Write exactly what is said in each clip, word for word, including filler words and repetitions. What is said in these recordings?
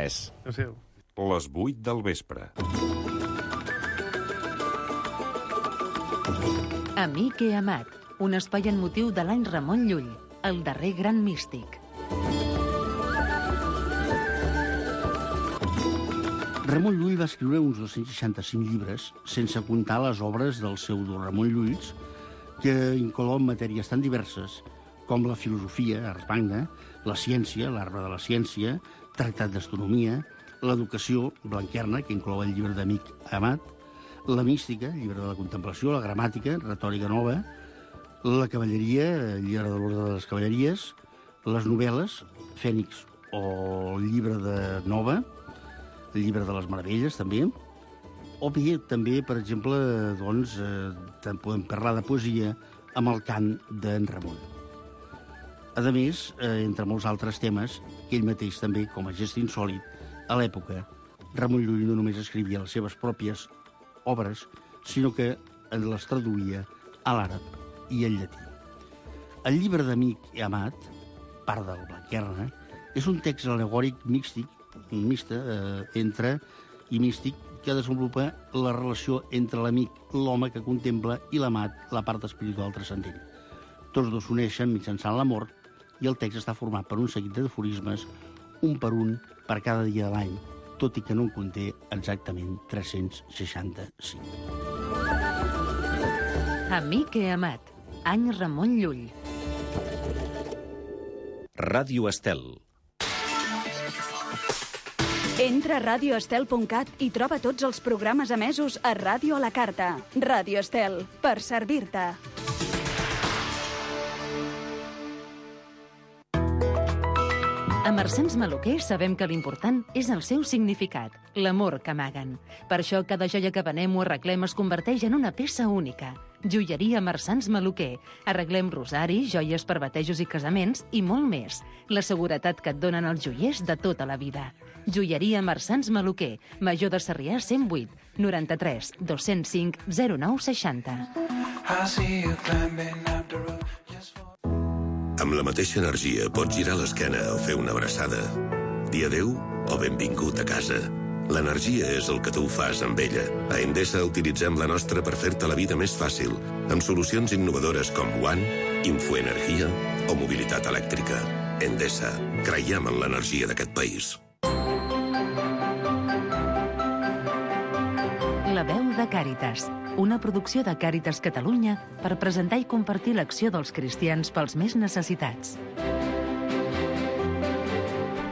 tres. Adéu. Les vuit del vespre. Amic i amat, un espai en motiu de l'any Ramon Llull, el darrer gran místic. Ramon Llull va escriure uns dos-cents seixanta-cinc llibres, sense comptar les obres del pseudo Ramon Llulls, que inclouen matèries tan diverses com la filosofia, ars magna, la ciència, l'arbre de la ciència, tractat d'astronomia, l'educació, Blanquerna, que inclou el llibre d'Amic Amat, la mística, llibre de la contemplació, la gramàtica, retòrica nova, la cavalleria, llibre de l'ordre de les cavalleries, les novel·les, Fènix o el llibre de Nova, el llibre de les meravelles, també, o bé, també, per exemple, doncs, eh, podem parlar de poesia amb el cant d'en Ramon. A més, eh, entre molts altres temes, que ell mateix també, com a gest insòlit, a l'època, Ramon Llull no només escrivia les seves pròpies obres, sinó que les traduïa a l'àrab i al llatí. El llibre d'Amic i Amat, part del Blanquerna, és un text alegòric místic, mixta, eh, entre i místic, que desenvolupa la relació entre l'amic, l'home que contempla, i l'amat, la part espiritual transcendent. Tots dos s'uneixen mitjançant l'amor i el text està format per un seguit d'aforismes, un per un, per cada dia de l'any, tot i que no en conté exactament tres-cents seixanta-cinc. Amic i amat, any Ramon Llull. Ràdio Estel. Entra a radio estel punt cat i troba tots els programes emesos a Ràdio a la Carta. Ràdio Estel, per servir-te. A Marsans Maluquer sabem que l'important és el seu significat, l'amor que amaguen. Per això cada joia que venem o arreglem es converteix en una peça única. Joieria Marsans Maluquer. Arreglem rosaris, joies per batejos i casaments i molt més. La seguretat que et donen els joiers de tota la vida. Joieria Marsans Maluquer. Major de Sarrià cent vuit, noranta-tres, dos-cents cinc, zero nou seixanta. Amb la mateixa energia pots girar l'esquena o fer una abraçada. Dir adéu o benvingut a casa. L'energia és el que tu fas amb ella. A Endesa utilitzem la nostra per fer-te la vida més fàcil, amb solucions innovadores com One, Infoenergia o mobilitat elèctrica. Endesa, creiem en l'energia d'aquest país. La veu de Càritas, una producció de Càritas Catalunya per presentar i compartir l'acció dels cristians pels més necessitats.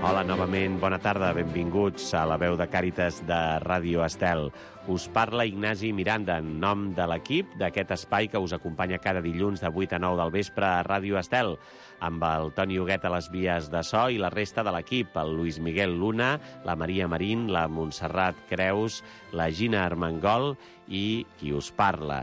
Hola, novament, bona tarda, benvinguts a la veu de Càritas de Ràdio Estel. Us parla Ignasi Miranda en nom de l'equip d'aquest espai que us acompanya cada dilluns de vuit a nou del vespre a Ràdio Estel, amb el Toni Huguet a les vies de so i la resta de l'equip, el Luis Miguel Luna, la Maria Marín, la Montserrat Creus, la Gina Armengol i qui us parla.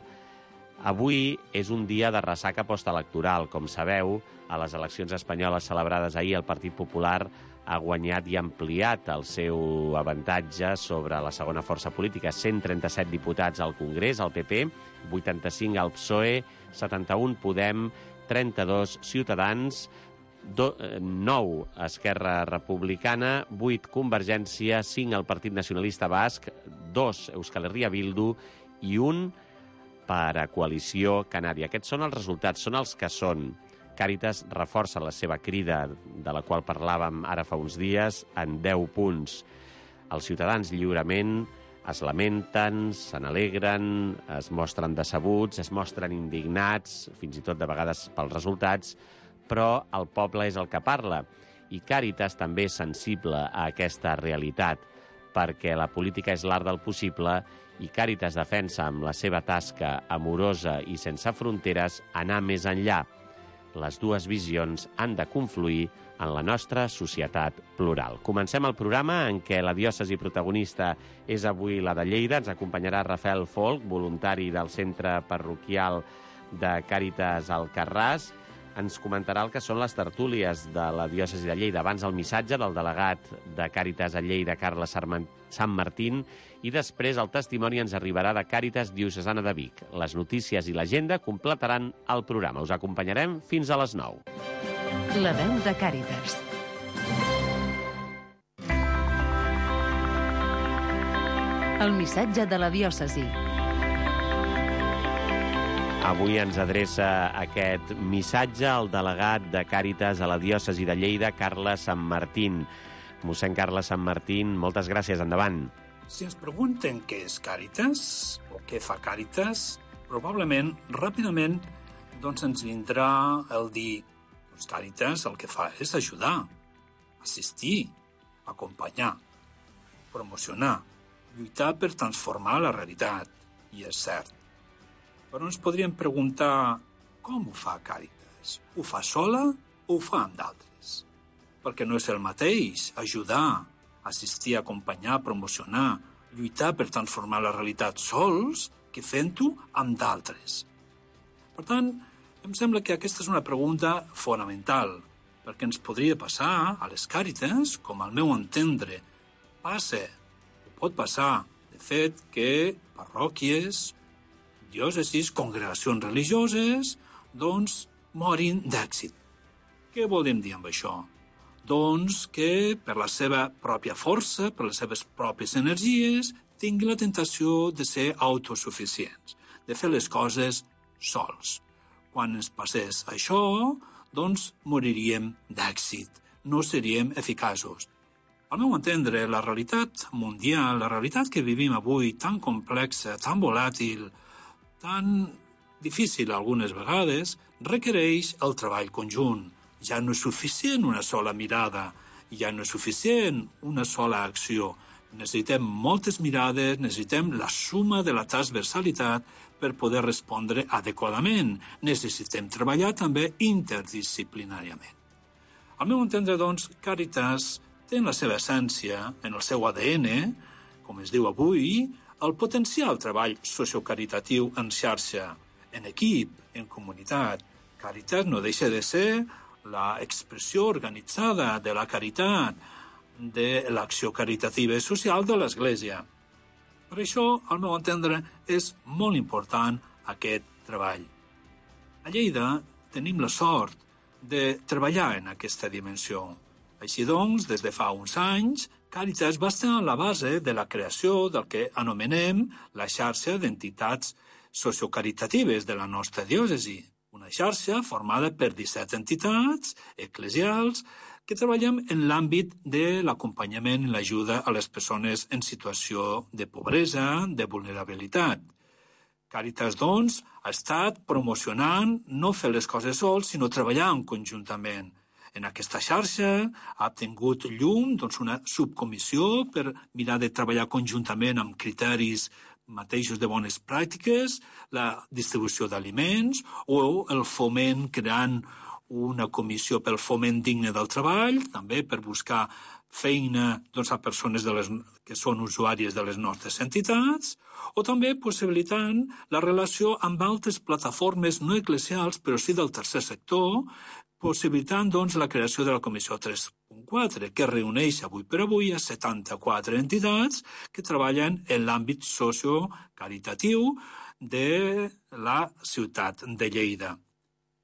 Avui és un dia de ressaca postelectoral. Com sabeu, a les eleccions espanyoles celebrades ahir, el Partit Popular ha guanyat i ampliat el seu avantatge sobre la segona força política. cent trenta-set diputats al Congrés, al P P, vuitanta-cinc al P S O E, setanta-un Podem, trenta-dos Ciutadans, nou Esquerra Republicana, vuit Convergència, cinc el Partit Nacionalista Basc, dos Euskal Herria Bildu i un per a Coalició Canària. Aquests són els resultats, són els que són. Càritas reforça la seva crida, de la qual parlàvem ara fa uns dies, en deu punts. Els ciutadans lliurement es lamenten, se n'alegren, es mostren decebuts, es mostren indignats, fins i tot de vegades pels resultats, però el poble és el que parla. I Càritas també és sensible a aquesta realitat, perquè la política és l'art del possible i Càritas defensa amb la seva tasca amorosa i sense fronteres anar més enllà. Les dues visions han de confluir en la nostra societat plural. Comencem el programa en què la diòcesi protagonista és avui la de Lleida. Ens acompanyarà Rafael Folch, voluntari del centre parroquial de Càritas Alcarràs. Ens comentarà el que són les tertúlies de la diòcesi de Lleida. Abans el missatge del delegat de Càritas a Lleida, Carles Sant Martín, i després el testimoni ens arribarà de Càritas Diocesana de Vic. Les notícies i l'agenda completaran el programa. Us acompanyarem fins a les nou. La veu de Càritas. El missatge de la diòcesi. Avui ens adreça aquest missatge el delegat de Càritas a la diòcesi de Lleida, Carles Sanmartín. Mossèn Carles Sanmartín, moltes gràcies, endavant. Si ens pregunten què és Càritas o què fa Càritas, probablement, ràpidament, doncs ens vindrà el dir doncs Càritas el que fa és ajudar, assistir, acompanyar, promocionar, lluitar per transformar la realitat. I és cert. Però ens podríem preguntar com ho fa Càritas? Ho fa sola o ho fa amb d'altres? Perquè no és el mateix ajudar, assistir, acompanyar, promocionar, lluitar per transformar la realitat sols que fent-ho amb d'altres. Per tant, em sembla que aquesta és una pregunta fonamental, perquè ens podria passar a les Càritas, com al meu entendre, passa, o pot passar, de fet, que parròquies, diòcesis, congregacions religioses, doncs, morin d'èxit. Què volem dir amb això? Doncs que per la seva pròpia força, per les seves pròpies energies, tingui la tentació de ser autosuficients, de fer les coses sols. Quan ens passés això, doncs moriríem d'èxit, no seríem eficaços. Al meu entendre, la realitat mundial, la realitat que vivim avui, tan complexa, tan volàtil, tan difícil algunes vegades, requereix el treball conjunt. Ja no és suficient una sola mirada, ja no és suficient una sola acció. Necessitem moltes mirades, necessitem la suma de la transversalitat per poder respondre adequadament. Necessitem treballar també interdisciplinàriament. Al meu entendre, doncs, Càritas té en la seva essència, en el seu A D N, com es diu avui, el potenciar el treball sociocaritatiu en xarxa, en equip, en comunitat. Càritas no deixa de ser la expressió organitzada de la caritat, de l'acció caritativa i social de l'Església. Per això, al meu entendre, és molt important aquest treball. A Lleida tenim la sort de treballar en aquesta dimensió. Així doncs, des de fa uns anys, Càritas va estar a la base de la creació del que anomenem la xarxa d'entitats sociocaritatives de la nostra diòcesi. Una xarxa formada per disset entitats eclesials que treballem en l'àmbit de l'acompanyament i l'ajuda a les persones en situació de pobresa, de vulnerabilitat. Càritas, doncs, ha estat promocionant no fer les coses sols, sinó treballant conjuntament. En aquesta xarxa ha tingut llum doncs, una subcomissió per mirar de treballar conjuntament amb criteris mateixos de bones pràctiques, la distribució d'aliments o el foment creant una comissió pel foment digne del treball, també per buscar feina doncs, a persones de les, que són usuàries de les nostres entitats, o també possibilitant la relació amb altres plataformes no eclesials, però sí del tercer sector, possibilitant doncs, la creació de la Comissió tres punt quatre, que reuneix avui per avui a setanta-quatre entitats que treballen en l'àmbit sociocaritatiu de la ciutat de Lleida.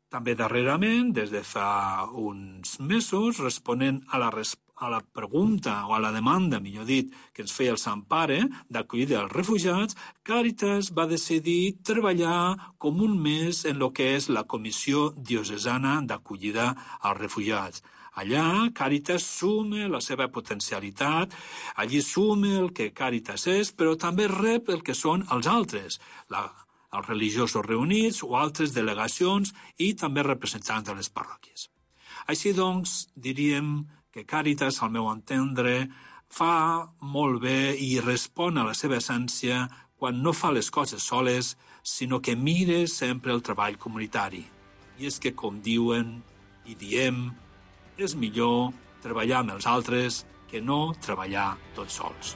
També darrerament, des de fa uns mesos, responent a la, a la pregunta o a la demanda, millor dit, que ens feia el Sant Pare d'acollida als refugiats, Càritas va decidir treballar com un mes en el que és la Comissió Diocesana d'Acollida als Refugiats. Allà, Càritas suma la seva potencialitat, allí suma el que Càritas és, però també rep el que són els altres, la els religiosos reunits o altres delegacions i també representants de les parròquies. Així doncs, diríem que Càritas, al meu entendre, fa molt bé i respon a la seva essència quan no fa les coses soles, sinó que mira sempre el treball comunitari. I és que, com diuen i diem, és millor treballar amb els altres que no treballar tots sols.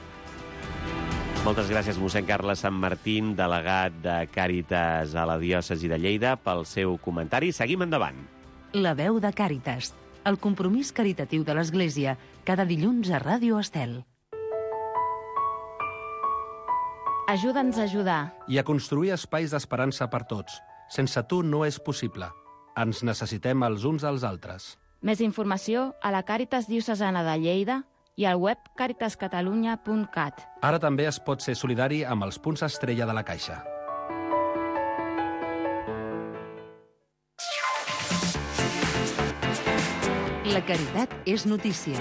Moltes gràcies, mossèn Carles Sanmartín, delegat de Càritas a la diòcesi de Lleida, pel seu comentari. Seguim endavant. La veu de Càritas, el compromís caritatiu de l'Església, cada dilluns a Ràdio Estel. Ajuda'ns a ajudar. I a construir espais d'esperança per tots. Sense tu no és possible. Ens necessitem els uns als altres. Més informació a la Càritas Diocesana de Lleida, i al web caritas catalunya punt cat. Ara també es pot ser solidari amb els punts estrella de la Caixa. La caritat és notícia.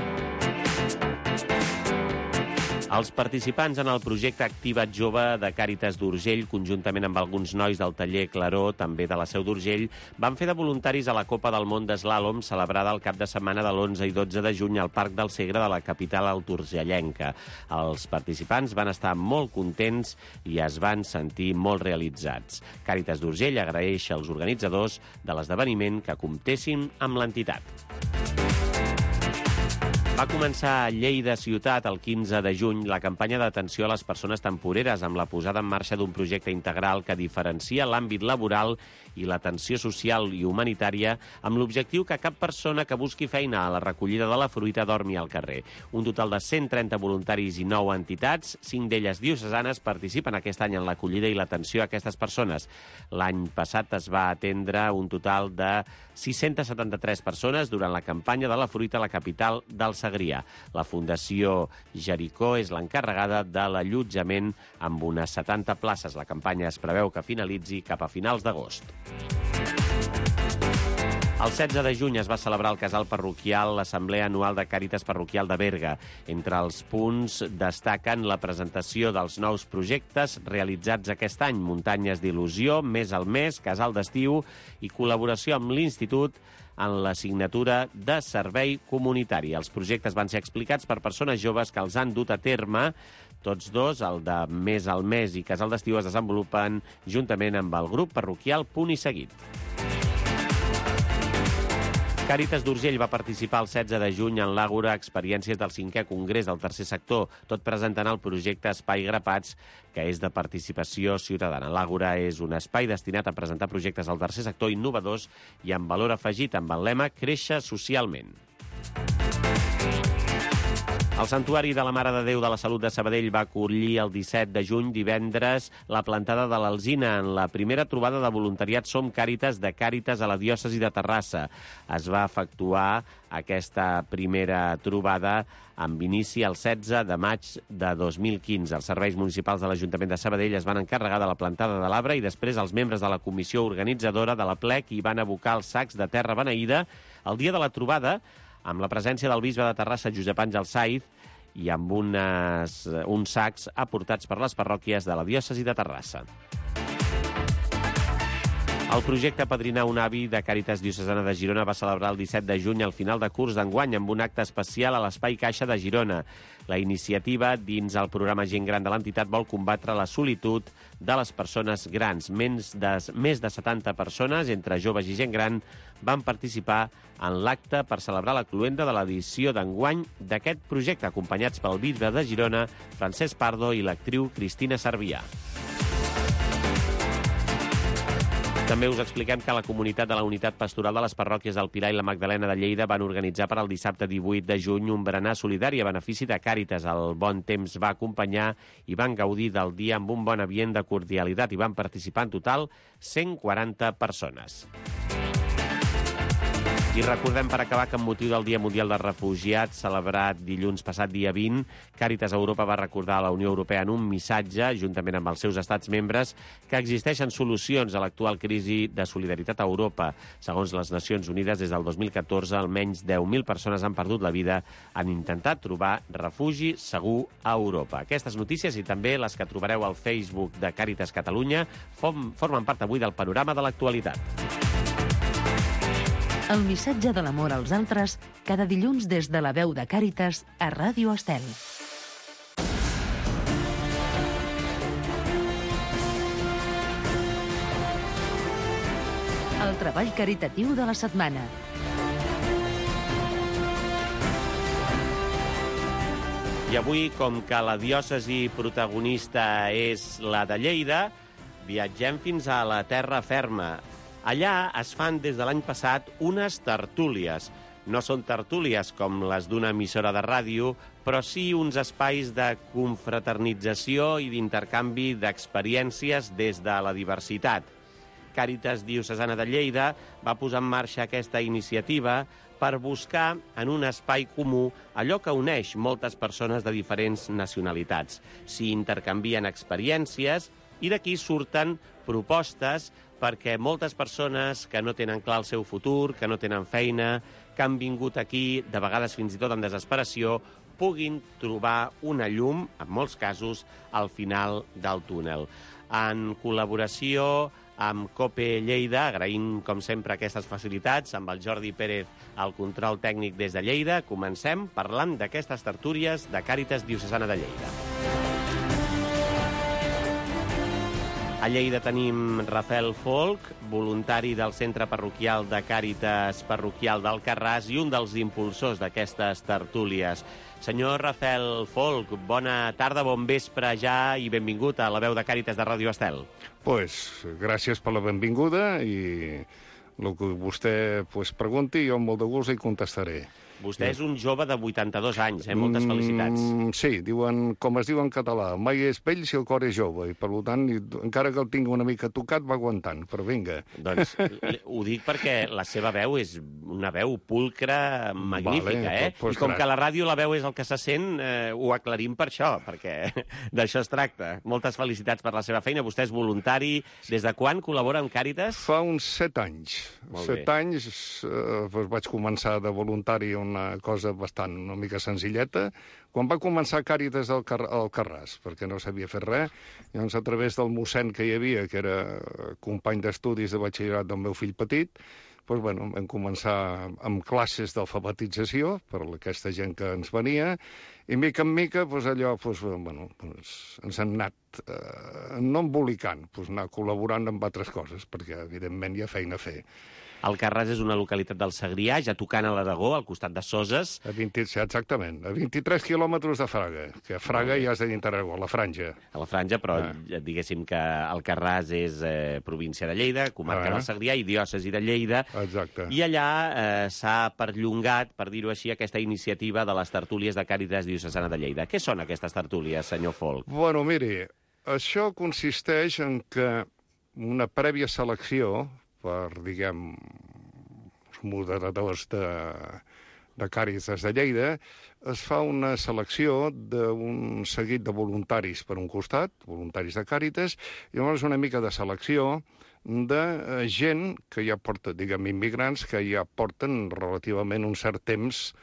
Els participants en el projecte Activa't Jove de Càritas d'Urgell, conjuntament amb alguns nois del taller Claró, també de la Seu d'Urgell, van fer de voluntaris a la Copa del Món d'Eslàlom, celebrada el cap de setmana de l'onze i dotze de juny al Parc del Segre de la capital alturgellenca. Els participants van estar molt contents i es van sentir molt realitzats. Càritas d'Urgell agraeix als organitzadors de l'esdeveniment que comptessin amb l'entitat. Va començar a Lleida ciutat el quinze de juny la campanya d'atenció a les persones temporeres amb la posada en marxa d'un projecte integral que diferencia l'àmbit laboral i l'atenció social i humanitària amb l'objectiu que cap persona que busqui feina a la recollida de la fruita dormi al carrer. Un total de cent trenta voluntaris i nou entitats, cinc d'elles diocesanes, participen aquest any en l'acollida i l'atenció a aquestes persones. L'any passat es va atendre un total de sis-centes setanta-tres persones durant la campanya de la fruita a la capital del Segrià. La Fundació Jericó és l'encarregada de l'allotjament amb unes setanta places. La campanya es preveu que finalitzi cap a finals d'agost. El setze de juny es va celebrar al casal parroquial l'Assemblea Anual de Càritas Parroquial de Berga. Entre els punts destaquen la presentació dels nous projectes realitzats aquest any: Muntanyes d'il·lusió, Més al mes, Casal d'estiu i col·laboració amb l'Institut en l'assignatura de servei comunitari. Els projectes van ser explicats per persones joves que els han dut a terme. Tots dos, el de Més al mes i Casal d'estiu, es desenvolupen juntament amb el grup parroquial Punt i Seguit. Càritas d'Urgell va participar el setze de juny en l'Àgora Experiències del cinquè Congrés del Tercer Sector, tot presentant el projecte Espai Grapats, que és de participació ciutadana. L'Àgora és un espai destinat a presentar projectes al tercer sector innovadors i amb valor afegit, amb el lema Créixer socialment. El Santuari de la Mare de Déu de la Salut de Sabadell va acollir el disset de juny, divendres, la plantada de l'Alzina en la primera trobada de voluntariat Som Càritas de Càritas a la diòcesi de Terrassa. Es va efectuar aquesta primera trobada amb inici el setze de maig de dos mil quinze. Els serveis municipals de l'Ajuntament de Sabadell es van encarregar de la plantada de l'arbre i després els membres de la comissió organitzadora de la plec hi van abocar els sacs de terra beneïda el dia de la trobada, amb la presència del bisbe de Terrassa, Josep Àngel Saiz, i amb unes, uns sacs aportats per les parròquies de la diòcesi de Terrassa. El projecte Apadrinar un avi de Càritas Diocesana de Girona va celebrar el disset de juny al final de curs d'enguany amb un acte especial a l'Espai Caixa de Girona. La iniciativa, dins el programa Gent Gran de l'entitat, vol combatre la solitud de les persones grans. Més de, més de setanta persones, entre joves i gent gran, van participar en l'acte per celebrar la cloenda de l'edició d'enguany d'aquest projecte, acompanyats pel bisbe de Girona, Francesc Pardo, i l'actriu Cristina Cervià. També us expliquem que la comunitat de la Unitat Pastoral de les Parròquies del Pilar i la Magdalena de Lleida van organitzar per al dissabte divuit de juny un berenar solidari a benefici de Càritas. El bon temps va acompanyar i van gaudir del dia amb un bon ambient de cordialitat i van participar en total cent quaranta persones. I recordem, per acabar, que amb motiu del Dia Mundial dels Refugiats, celebrat dilluns passat dia vint, Càritas Europa va recordar a la Unió Europea en un missatge, juntament amb els seus estats membres, que existeixen solucions a l'actual crisi de solidaritat a Europa. Segons les Nacions Unides, des del dos mil catorze, almenys deu mil persones han perdut la vida en intentar trobar refugi segur a Europa. Aquestes notícies i també les que trobareu al Facebook de Càritas Catalunya formen part avui del panorama de l'actualitat. El missatge de l'amor als altres, cada dilluns des de la veu de Càritas a Ràdio Estel. El treball caritatiu de la setmana. I avui, com que la diòcesi protagonista és la de Lleida, viatgem fins a la terra ferma. Allà es fan des de l'any passat unes tertúlies. No són tertúlies com les d'una emissora de ràdio, però sí uns espais de confraternització i d'intercanvi d'experiències des de la diversitat. Càritas Diocesana de Lleida va posar en marxa aquesta iniciativa per buscar en un espai comú allò que uneix moltes persones de diferents nacionalitats. S'hi intercanvien experiències i d'aquí surten propostes perquè moltes persones que no tenen clar el seu futur, que no tenen feina, que han vingut aquí, de vegades fins i tot en desesperació, puguin trobar una llum, en molts casos, al final del túnel. En col·laboració amb COPE Lleida, agraïm, com sempre, aquestes facilitats, amb el Jordi Pérez al control tècnic des de Lleida, comencem parlant d'aquestes tertúlies de Càritas Diocesana de Lleida. A Lleida tenim Rafael Folch, voluntari del Centre Parroquial de Càritas Parroquial d'Alcarràs i un dels impulsors d'aquestes tertúlies. Senyor Rafael Folch, bona tarda, bon vespre ja i benvingut a la veu de Càritas de Ràdio Estel. Pues, gràcies per la benvinguda i el que vostè pues, pregunti, jo amb molt de gust hi contestaré. Vostè és un jove de vuitanta-dos anys, eh? Moltes felicitats. Mm, sí, diuen, com es diu en català, mai és vell si el cor és jove, i per tant, encara que el tingui una mica tocat, va aguantant, però vinga. Doncs ho dic perquè la seva veu és una veu pulcra, magnífica, vale, eh? pues, I com gra... que la ràdio la veu és el que se sent, eh, ho aclarim per això, perquè d'això es tracta. Moltes felicitats per la seva feina. Vostè és voluntari. Des de quan col·labora amb Càritas? Fa uns set anys. Molt set bé. anys eh, doncs vaig començar de voluntari una cosa bastant una mica senzilleta, quan va començar Càritas al, Car al Carràs, perquè no sabia fer res, llavors a través del mossèn que hi havia, que era company d'estudis de batxillerat del meu fill petit, doncs, bueno, vam començar amb classes d'alfabetització per aquesta gent que ens venia, i mica en mica doncs, allò doncs, bueno, doncs, ens han anat eh, no embolicant, doncs, anar col·laborant amb altres coses, perquè evidentment hi ha feina a fer. Alcarràs és una localitat del Segrià, ja tocant a l'Aragó, al costat de Soses. A vint, exactament, a vint-i-tres quilòmetres de Fraga, que a Fraga ja és de dintre Aragó, a la Franja. A la Franja, però ah. diguéssim que Alcarràs és eh, província de Lleida, comarca ah. del Segrià i diòcesi de Lleida. Exacte. I allà eh, s'ha perllongat, per dir-ho així, aquesta iniciativa de les tertúlies de Càritas Diocesana de Lleida. Què són aquestes tertúlies, senyor Folch? Bueno, miri, això consisteix en que una prèvia selecció per, diguem, els moderadors de, de Càritas de Lleida, es fa una selecció d'un seguit de voluntaris per un costat, voluntaris de Càritas, i llavors una mica de selecció de gent que ja porta, diguem, immigrants, que ja porten relativament un cert temps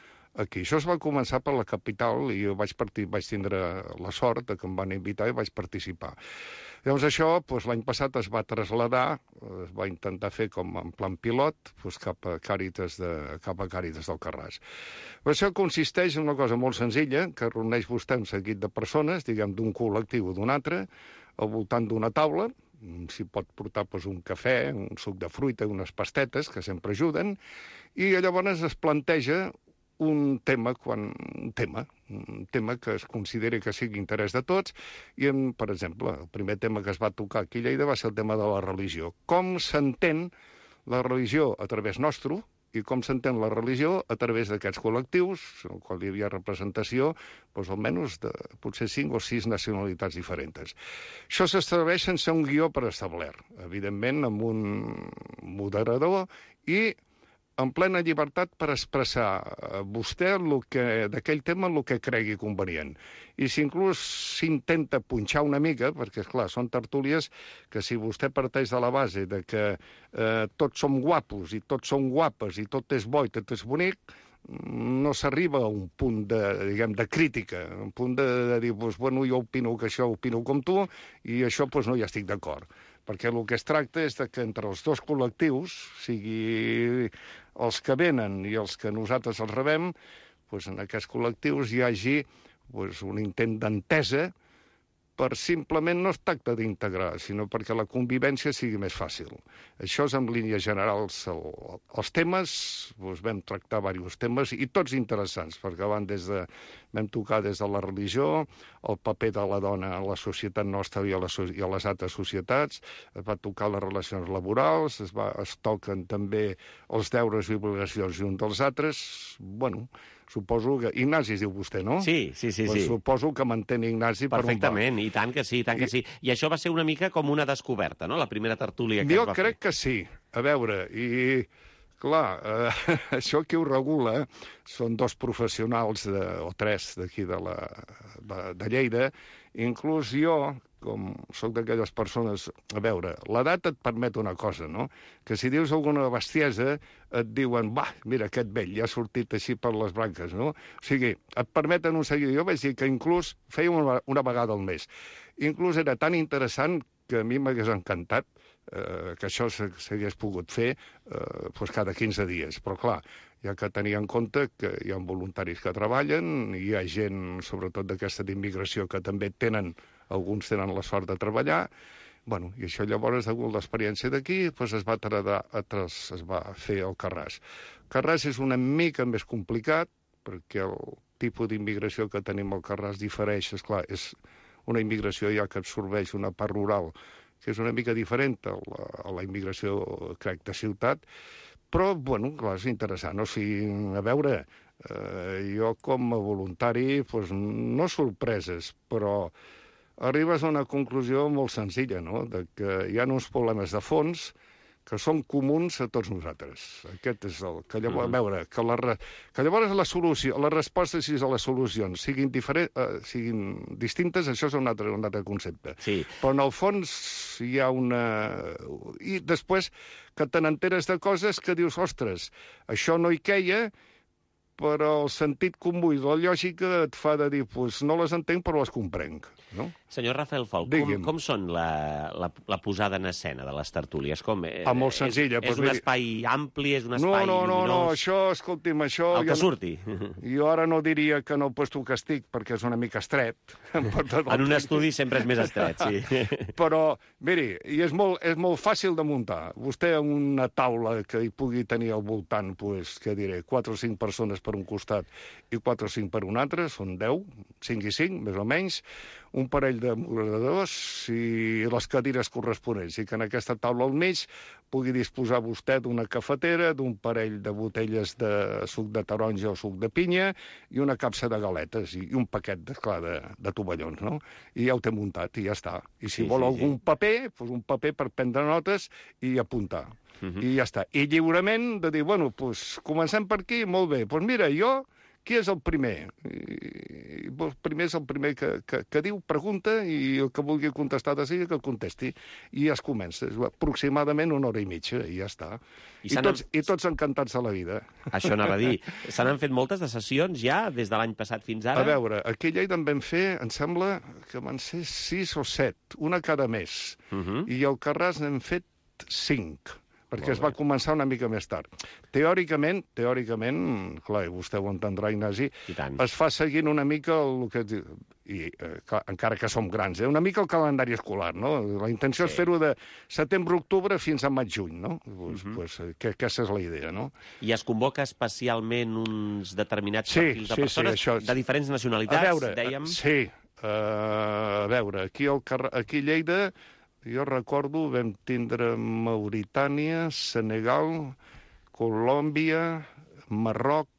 aquí. Això es va començar per la capital i jo vaig, partir, vaig tindre la sort de que em van invitar i vaig participar. Llavors això, doncs, l'any passat es va traslladar, es va intentar fer com en plan pilot, doncs, cap a Càritas de, cap a Càritas del Carràs. Però això consisteix en una cosa molt senzilla, que reuneix vostè un seguit de persones, diguem, d'un col·lectiu o d'un altre, al voltant d'una taula, s'hi pot portar doncs, un cafè, un suc de fruita, unes pastetes, que sempre ajuden, i llavors es planteja un tema, quan, un tema, un tema que es consideri que sigui interès de tots, i, en, per exemple, el primer tema que es va tocar aquí a Lleida va ser el tema de la religió. Com s'entén la religió a través nostre i com s'entén la religió a través d'aquests col·lectius, en el qual hi havia representació, doncs, almenys de potser cinc o sis nacionalitats diferents. Això s'estableix sense un guió preestablert, evidentment amb un moderador i en plena llibertat per expressar vostè d'aquell tema el que cregui convenient. I si inclús s'intenta punxar una mica, perquè, esclar, són tertúlies que si vostè parteix de la base de que eh, tots som guapos i tots som guapes i tot és bo i tot és bonic, no s'arriba a un punt de, diguem, de crítica, un punt de, de dir, doncs, bueno, jo opino que això opino com tu i això doncs, no hi estic d'acord. Perquè el que es tracta és de que entre els dos col·lectius, sigui els que venen i els que nosaltres els rebem, doncs en aquests col·lectius hi hagi doncs, un intent d'entesa per simplement no es tracta d'integrar, sinó perquè la convivència sigui més fàcil. Això és en línies generals el, els temes, doncs vam tractar diversos temes i tots interessants, perquè van des de, vam tocar des de la religió, el paper de la dona a la societat nostra i a, la, i a les altres societats, es va tocar les relacions laborals, es, va, es toquen també els deures i obligacions un dels altres, bueno, suposo que... Ignasi es diu vostè, no? Sí, sí, sí. Pues sí. Suposo que m'entén Ignasi per un bar. Perfectament, i tant que sí, i tant que sí. I això va ser una mica com una descoberta, no?, la primera tertúlia que jo es va crec fer. que sí. A veure, i Clar, eh, això qui ho regula són dos professionals, de, o tres d'aquí de, la, de, de Lleida. Inclús jo, com soc d'aquelles persones... A veure, l'edat et permet una cosa, no? Que si dius alguna bestiesa, et diuen, va, mira, aquest vell ja ha sortit així per les branques, no? O sigui, et permeten un seguidor. Jo vaig dir que inclús feia una, una vegada al mes. Inclús era tan interessant que a mi m'hagués encantat eh, que això s'hagués pogut fer eh, doncs cada quinze dies. Però, clar, hi ha que tenir en compte que hi ha voluntaris que treballen, hi ha gent, sobretot d'aquesta d'immigració, que també tenen, alguns tenen la sort de treballar. Bueno, i això llavors, degut a l'experiència d'aquí, doncs es va tradar, es va fer el Carràs. Carràs és una mica més complicat, perquè el tipus d'immigració que tenim al Carràs difereix, esclar, és una immigració ja que absorbeix una part rural, que és una mica diferent a la, a la immigració, crec, de ciutat, però, bueno, clar, és interessant. O sigui, a veure, eh, jo com a voluntari, doncs, no sorpreses, però arribes a una conclusió molt senzilla, no?, de que hi ha uns problemes de fons que són comuns a tots nosaltres. Aquest és el... Que llavors, a veure, que, la, que llavors la solució, les respostes i les solucions siguin, diferent, eh, siguin distintes, això és un altre, un altre concepte. Sí. Però en el fons hi ha una... I després que te n'enteres de coses que dius, ostres, això no hi queia, però el sentit comú i la lògica et fa de dir, pues, no les entenc, però les comprenc, no? Senyor Rafael Folch, com, com són la, la, la posada en escena de les tertúlies? Com, eh, ah, molt senzilla. És, és un miri... espai ampli, és un espai no, no, no, lluminós? No, no, això, escolti'm, això... El que jo surti. No, jo ara no diria que en el puesto que estic, perquè és una mica estret. En un estudi sempre és més estret, sí. Però, miri, i és molt, és molt fàcil de muntar. Vostè en una taula que hi pugui tenir al voltant, pues, què diré, quatre o cinc persones per un costat i quatre o cinc per un altre, són deu, cinc i cinc, més o menys, un parell de moderadors i les cadires corresponents, i que en aquesta taula al mig pugui disposar vostè d'una cafetera, d'un parell de botelles de suc de taronja o suc de pinya i una capsa de galetes i un paquet, de, clar, de, de tovallons, no? I ja ho té muntat i ja està. I si sí, vol sí, algun sí. paper, doncs un paper per prendre notes i apuntar. Uh -huh. I ja està. I lliurement de dir, bueno, doncs comencem per aquí, molt bé. Doncs mira, jo... Qui és el primer? I, el primer és el primer que, que, que diu, pregunta, i el que vulgui contestar de seguida que el contesti. I ja es comença. És aproximadament una hora i mitja, i ja està. I, I, tots, I tots encantats de la vida. Això anava a dir. Se n'han fet moltes de sessions ja, des de l'any passat fins ara? A veure, aquí a Lleida en vam fer, em sembla que van ser sis o set, una cada mes. Uh -huh. I al Carràs n'hem fet cinc. Perquè es va començar una mica més tard. Teòricament, teòricament, clar, vostè ho entendrà, Ignasi, es fa seguint una mica el que... I, eh, clar, encara que som grans, eh? Una mica el calendari escolar, no? La intenció sí. és fer-ho de setembre-octubre fins a maig-juny, no? Pues, uh-huh. pues, que, aquesta és la idea, no? I es convoca especialment uns determinats sí, perfils de sí, persones sí, això... de diferents nacionalitats, a veure, dèiem? Sí, uh, a veure, aquí, al car... aquí a Lleida... Jo recordo, vam tindre Mauritània, Senegal, Colòmbia, Marroc,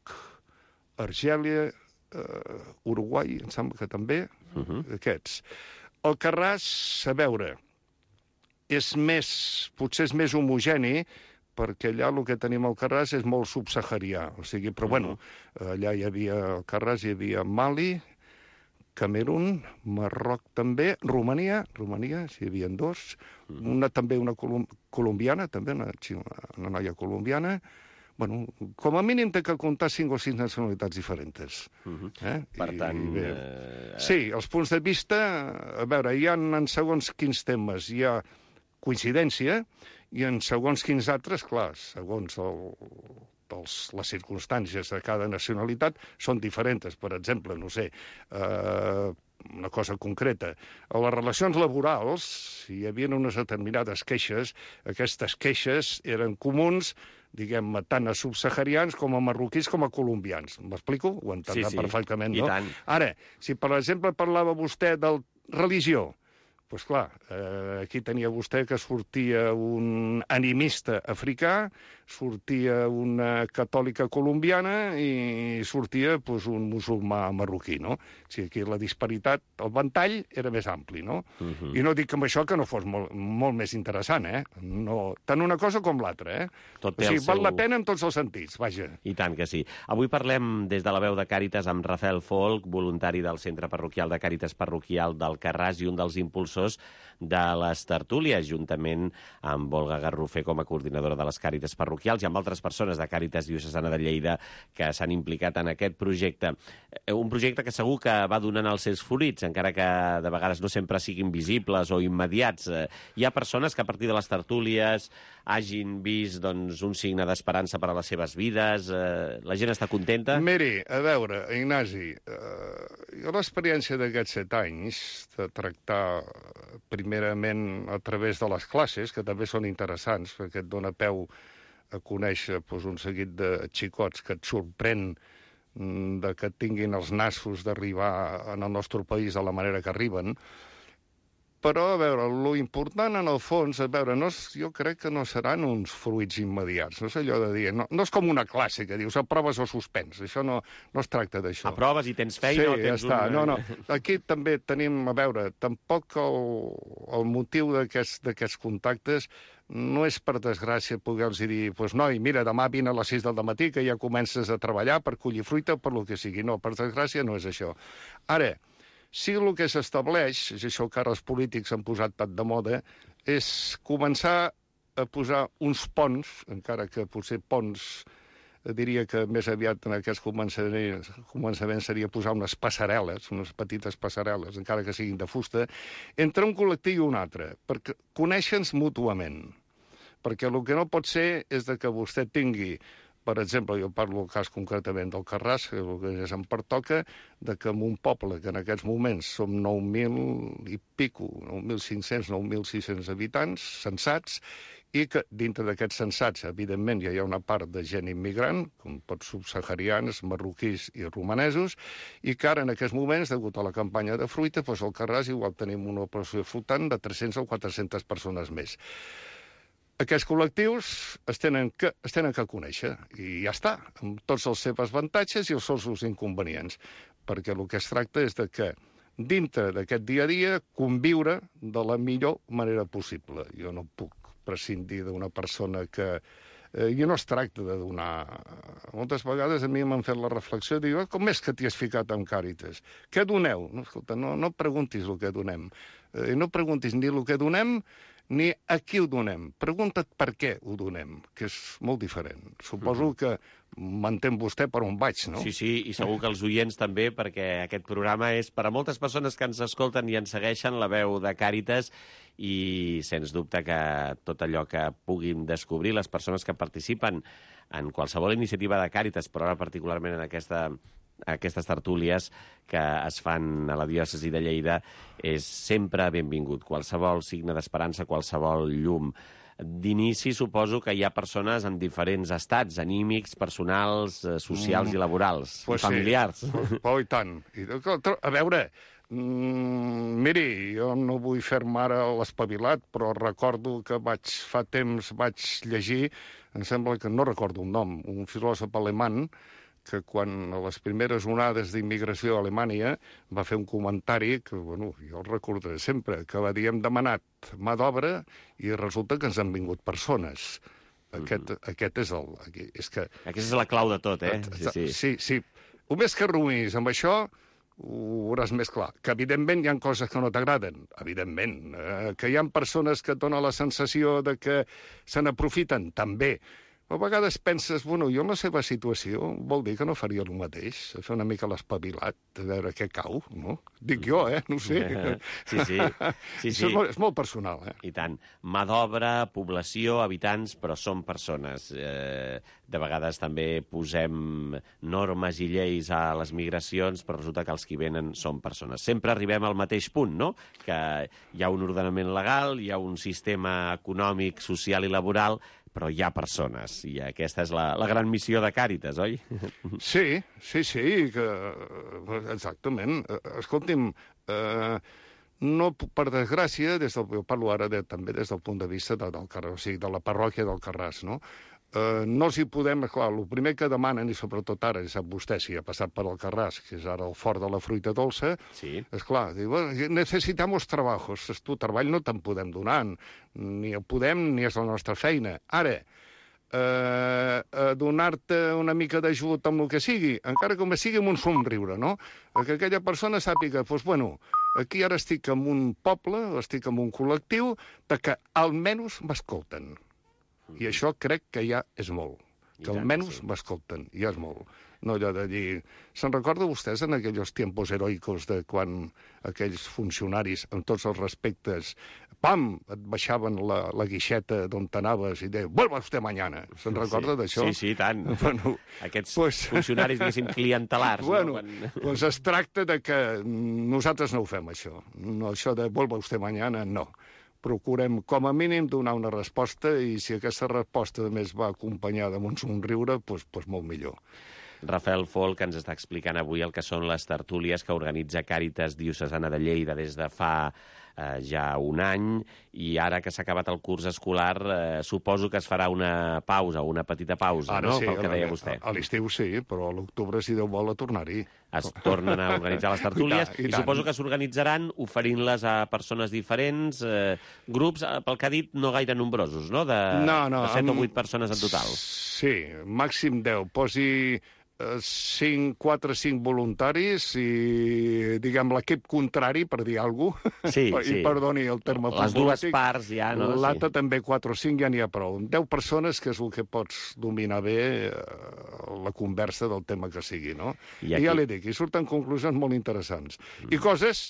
Argèlia, eh, Uruguai, em sembla que també, uh-huh. aquests. El Carràs, a veure, és més, potser és més homogeni, perquè allà el que tenim al Carràs és molt subsaharià, o sigui, però uh-huh. bueno, allà hi havia, al Carràs hi havia Mali, Camerún, Marroc també, Romania, Romania, si hi havia dos, una també una colom colombiana, també una, una noia colombiana. Bueno, com a mínim té que comptar cinc o sis nacionalitats diferents. Uh-huh. eh? Per tant... I, eh... Sí, els punts de vista, a veure, hi ha en segons quins temes hi ha coincidència i en segons quins altres, clar, segons el... Els, les circumstàncies de cada nacionalitat són diferents. Per exemple, no sé, eh, una cosa concreta. A les relacions laborals, si hi havia unes determinades queixes, aquestes queixes eren comuns, diguem, tant a subsaharians com a marroquins com a colombians. M'explico? Ho entendrà sí, sí. perfectament, no? I tant. Ara, si per exemple parlava vostè de religió, doncs clar, eh, aquí tenia vostè que sortia un animista africà, sortia una catòlica colombiana i sortia doncs, un musulmà marroquí, no? O sigui, aquí la disparitat, el ventall era més ampli, no? Uh-huh. I no dic amb això que no fos molt, molt més interessant, eh? No, tant una cosa com l'altra, eh? Tot o sigui, seu... val la pena en tots els sentits, vaja. I tant que sí. Avui parlem des de la veu de Càritas amb Rafael Folk, voluntari del Centre Parroquial de Càritas Parroquial d'Alcarràs i un dels impulsors de les tertúlies, juntament amb Olga Garrofer com a coordinadora de les Càritas Parroquials i amb altres persones de Càritas Diocesana de Lleida que s'han implicat en aquest projecte. Un projecte que segur que va donant els seus fruits, encara que de vegades no sempre siguin visibles o immediats. Hi ha persones que a partir de les tertúlies hagin vist doncs, un signe d'esperança per a les seves vides. La gent està contenta? Miri, a veure, Ignasi, eh, jo l'experiència d'aquests set anys de tractar primerament a través de les classes, que també són interessants, perquè et dona peu a conèixer doncs, un seguit de xicots que et sorprèn de que tinguin els nassos d'arribar en el nostre país de la manera que arriben. Però, a veure, lo important, en el fons, a veure, no és, jo crec que no seran uns fruits immediats. No és allò de dir... No, no és com una classe que dius aproves o suspens. Això no, no es tracta d'això. Aproves i tens feina sí, o tens ja està. un... No, no. Aquí també tenim, a veure, tampoc el, el motiu d'aquests contactes no és, per desgràcia, poder-los dir, doncs, noi, mira, demà vine a les sis del matí que ja comences a treballar per collir fruita, per lo que sigui. No, per desgràcia no és això. Ara, sí, el que s'estableix, és això que ara els polítics han posat tan de moda, és començar a posar uns ponts, encara que potser ponts, diria que més aviat en aquests començaments seria posar unes passarel·les, unes petites passarel·les, encara que siguin de fusta, entre un col·lectiu i un altre, perquè conèixer-nos mútuament. Perquè el que no pot ser és de que vostè tingui... Per exemple, jo parlo el cas concretament del Carràs, que el que és em pertoca, de que en un poble que en aquests moments som nou mil i pico, nou mil cinc-cents, nou mil sis-cents habitants censats, i que dintre d'aquests censats, evidentment, ja hi ha una part de gent immigrant, com tots subsaharians, marroquís i romanesos, i que ara en aquests moments, degut a la campanya de fruita, doncs al Carràs igual tenim una operació flotant de tres-centes o quatre-centes persones més. Aquests col·lectius es tenen, que, es tenen que conèixer, i ja està, amb tots els seus avantatges i els seus inconvenients, perquè el que es tracta és de que dintre d'aquest dia a dia conviure de la millor manera possible. Jo no puc prescindir d'una persona que... Eh, I no es tracta de donar... Moltes vegades a mi m'han fet la reflexió, diu, com és que t'hi has ficat amb Càritas? Què doneu? No, escolta, no, no preguntis el que donem. Eh, no preguntis ni el que donem, ni a qui ho donem. Pregunta't per què ho donem, que és molt diferent. Suposo que m'entén vostè per on vaig, no? Sí, sí, i segur que els oients també, perquè aquest programa és per a moltes persones que ens escolten i ens segueixen la veu de Càritas i, sens dubte, que tot allò que puguin descobrir les persones que participen en qualsevol iniciativa de Càritas, però ara particularment en aquesta... aquestes tertúlies que es fan a la diòcesi de Lleida és sempre benvingut. Qualsevol signe d'esperança, qualsevol llum. D'inici suposo que hi ha persones en diferents estats, anímics, personals, socials mm. i laborals, pues i familiars. Sí. Oh, i tant. I, a veure, mm, miri, jo no vull fer-me ara l'espavilat, però recordo que vaig, fa temps vaig llegir, em sembla que no recordo un nom, un filòsof alemany, que quan a les primeres onades d'immigració a Alemanya va fer un comentari que, bueno, jo el recordaré sempre, que va dir, hem demanat mà d'obra i resulta que ens han vingut persones. Aquest, mm. aquest és el... És que... Aquesta és la clau de tot, eh? Sí, sí. sí, sí. O més que ruïnis amb això, ho veuràs més clar. Que, evidentment, hi ha coses que no t'agraden, evidentment. Eh, que hi ha persones que et donen la sensació de que se n'aprofiten, també. A vegades penses, bueno, jo en la seva situació vol dir que no faria el mateix, fer una mica l'espavilat, a veure què cau, no? Dic jo, eh? No ho sé. Sí, sí. sí, sí. És, molt, és molt personal, eh? I tant. Mà d'obra, població, habitants, però són persones. Eh, de vegades també posem normes i lleis a les migracions, però resulta que els que venen són persones. Sempre arribem al mateix punt, no? Que hi ha un ordenament legal, hi ha un sistema econòmic, social i laboral, però hi ha persones, i aquesta és la, la gran missió de Càritas, oi? Sí, sí, sí, que, exactament. Escolti'm, eh, no, per desgràcia, des del, jo parlo ara de, també des del punt de vista de, del Carràs, o sigui, de la parròquia del Carràs, no? Eh, no els hi podem, clar, el primer que demanen, i sobretot ara, sap vostè, si ha passat per el Carràs, que és ara el fort de la fruita dolça, sí. És clar, diu, necessitamos trabajos, tu treball no te'n podem donar, ni el podem ni és la nostra feina. Ara, Eh, a donar-te una mica d'ajut amb el que sigui, encara com sigui amb un somriure, no? Que aquella persona sàpiga, doncs, bueno, aquí ara estic en un poble, estic en un col·lectiu, de que almenys m'escolten. I això crec que ja és molt. Que almenys m'escolten, ja és molt. No allò de dir... Se'n recorda vostès en aquells tiempos heroicos de quan aquells funcionaris, amb tots els respectes, pam, et baixaven la, la guixeta d'on t'anaves i deien, vuelva usted mañana. Se'n recorda sí, d'això? Sí, sí, tant. Bueno, Aquests pues, funcionaris, diguéssim, clientelars. Bueno, no? Quan... doncs es tracta de que nosaltres no ho fem, això. No, això de vuelva usted mañana, no. Procurem, com a mínim, donar una resposta i si aquesta resposta, a més, va acompanyada amb un somriure, doncs, doncs molt millor. Rafael Folk ens està explicant avui el que són les tertúlies que organitza Càritas Diocesana de Lleida des de fa eh, ja un any, i ara que s'ha acabat el curs escolar, eh, suposo que es farà una pausa, una petita pausa, Ara no?, sí, pel que deia a, vostè. A l'estiu sí, però a l'octubre, si Déu vol, a tornar-hi. Es tornen a organitzar les tertúlies i, I, i suposo que s'organitzaran oferint-les a persones diferents, eh, grups, eh, pel que ha dit, no gaire nombrosos, no?, de, no, no, de set amb... o vuit persones en total. Sí, màxim deu. Posi cinc, quatre, cinc voluntaris i, diguem, l'equip contrari, per dir alguna cosa, sí, i sí. perdoni el terme les dues parts ja, no? L'altre sí. També quatre o cinc ja n'hi ha prou. deu persones, que és el que pots dominar bé eh, la conversa del tema que sigui, no? I, aquí... I ja li dic, i surten conclusions molt interessants. Mm. I coses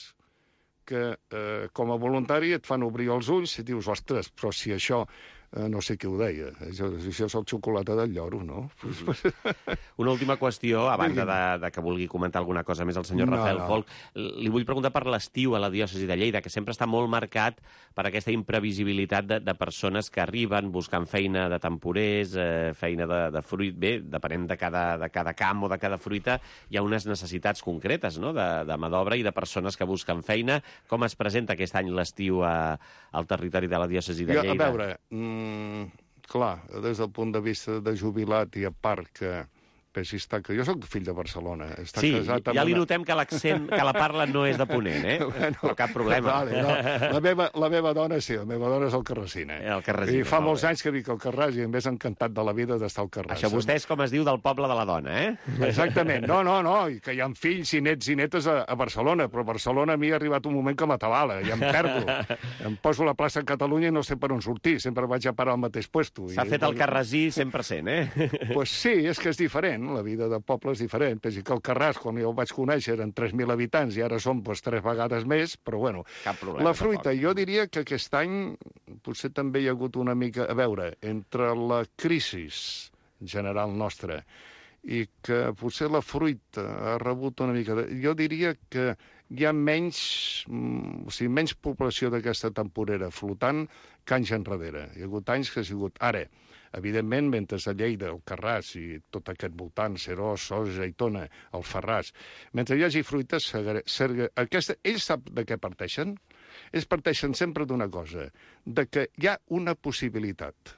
que, eh, com a voluntari, et fan obrir els ulls i dius, ostres, però si això... Uh, no sé qui ho deia. Això, això és el xocolata del lloro, no? Mm-hmm. Una última qüestió, a banda de, de que vulgui comentar alguna cosa més el senyor no, Rafael no. Folk. Li vull preguntar per l'estiu a la diòcesi de Lleida, que sempre està molt marcat per aquesta imprevisibilitat de, de persones que arriben buscant feina de temporers, eh, feina de, de fruit. Bé, depenent de cada, de cada camp o de cada fruita, hi ha unes necessitats concretes, no?, de, de mà d'obra i de persones que busquen feina. Com es presenta aquest any l'estiu a, al territori de la diòcesi de Lleida? A veure... Mm... Clar, des del punt de vista de jubilat i a part que Peixi està, que jo sóc fill de Barcelona. Està sí, casat amb ja li una... notem que l'accent, que la parla no és de Ponent, eh? Bueno, però cap problema. Vale, no. la, meva, la meva dona sí, la meva dona és el Carrasina. El Carrasina. I fa molts anys que vic al Carràs i em més encantat de la vida d'estar al Carràs. Això vostè és com es diu del poble de la dona, eh? Exactament. No, no, no, i que hi ha fills i nets i netes a, a Barcelona, però a Barcelona a mi ha arribat un moment que m'atabala, i em perdo. Em poso a la plaça Catalunya i no sé per on sortir, sempre vaig a parar al mateix puesto. S'ha fet el carrasí cent per cent, eh? Pues sí, és que és diferent, la vida de poble és diferent. Pensi que el Carràs, quan jo el vaig conèixer, eren tres mil habitants i ara som pues, tres vegades més, però bueno. Cap problema, la fruita, tampoc. Jo diria que aquest any potser també hi ha hagut una mica... A veure, entre la crisi general nostra i que potser la fruita ha rebut una mica... De... Jo diria que hi ha menys, o sigui, menys població d'aquesta temporera flotant que anys enrere. Hi ha hagut anys que ha sigut... Ara, evidentment, mentre a Lleida, el Carràs i tot aquest voltant, Serós, Sos, Aitona, el Ferràs, mentre hi hagi fruites, aquesta, ells sap de què parteixen? Ells parteixen sempre d'una cosa, de que hi ha una possibilitat.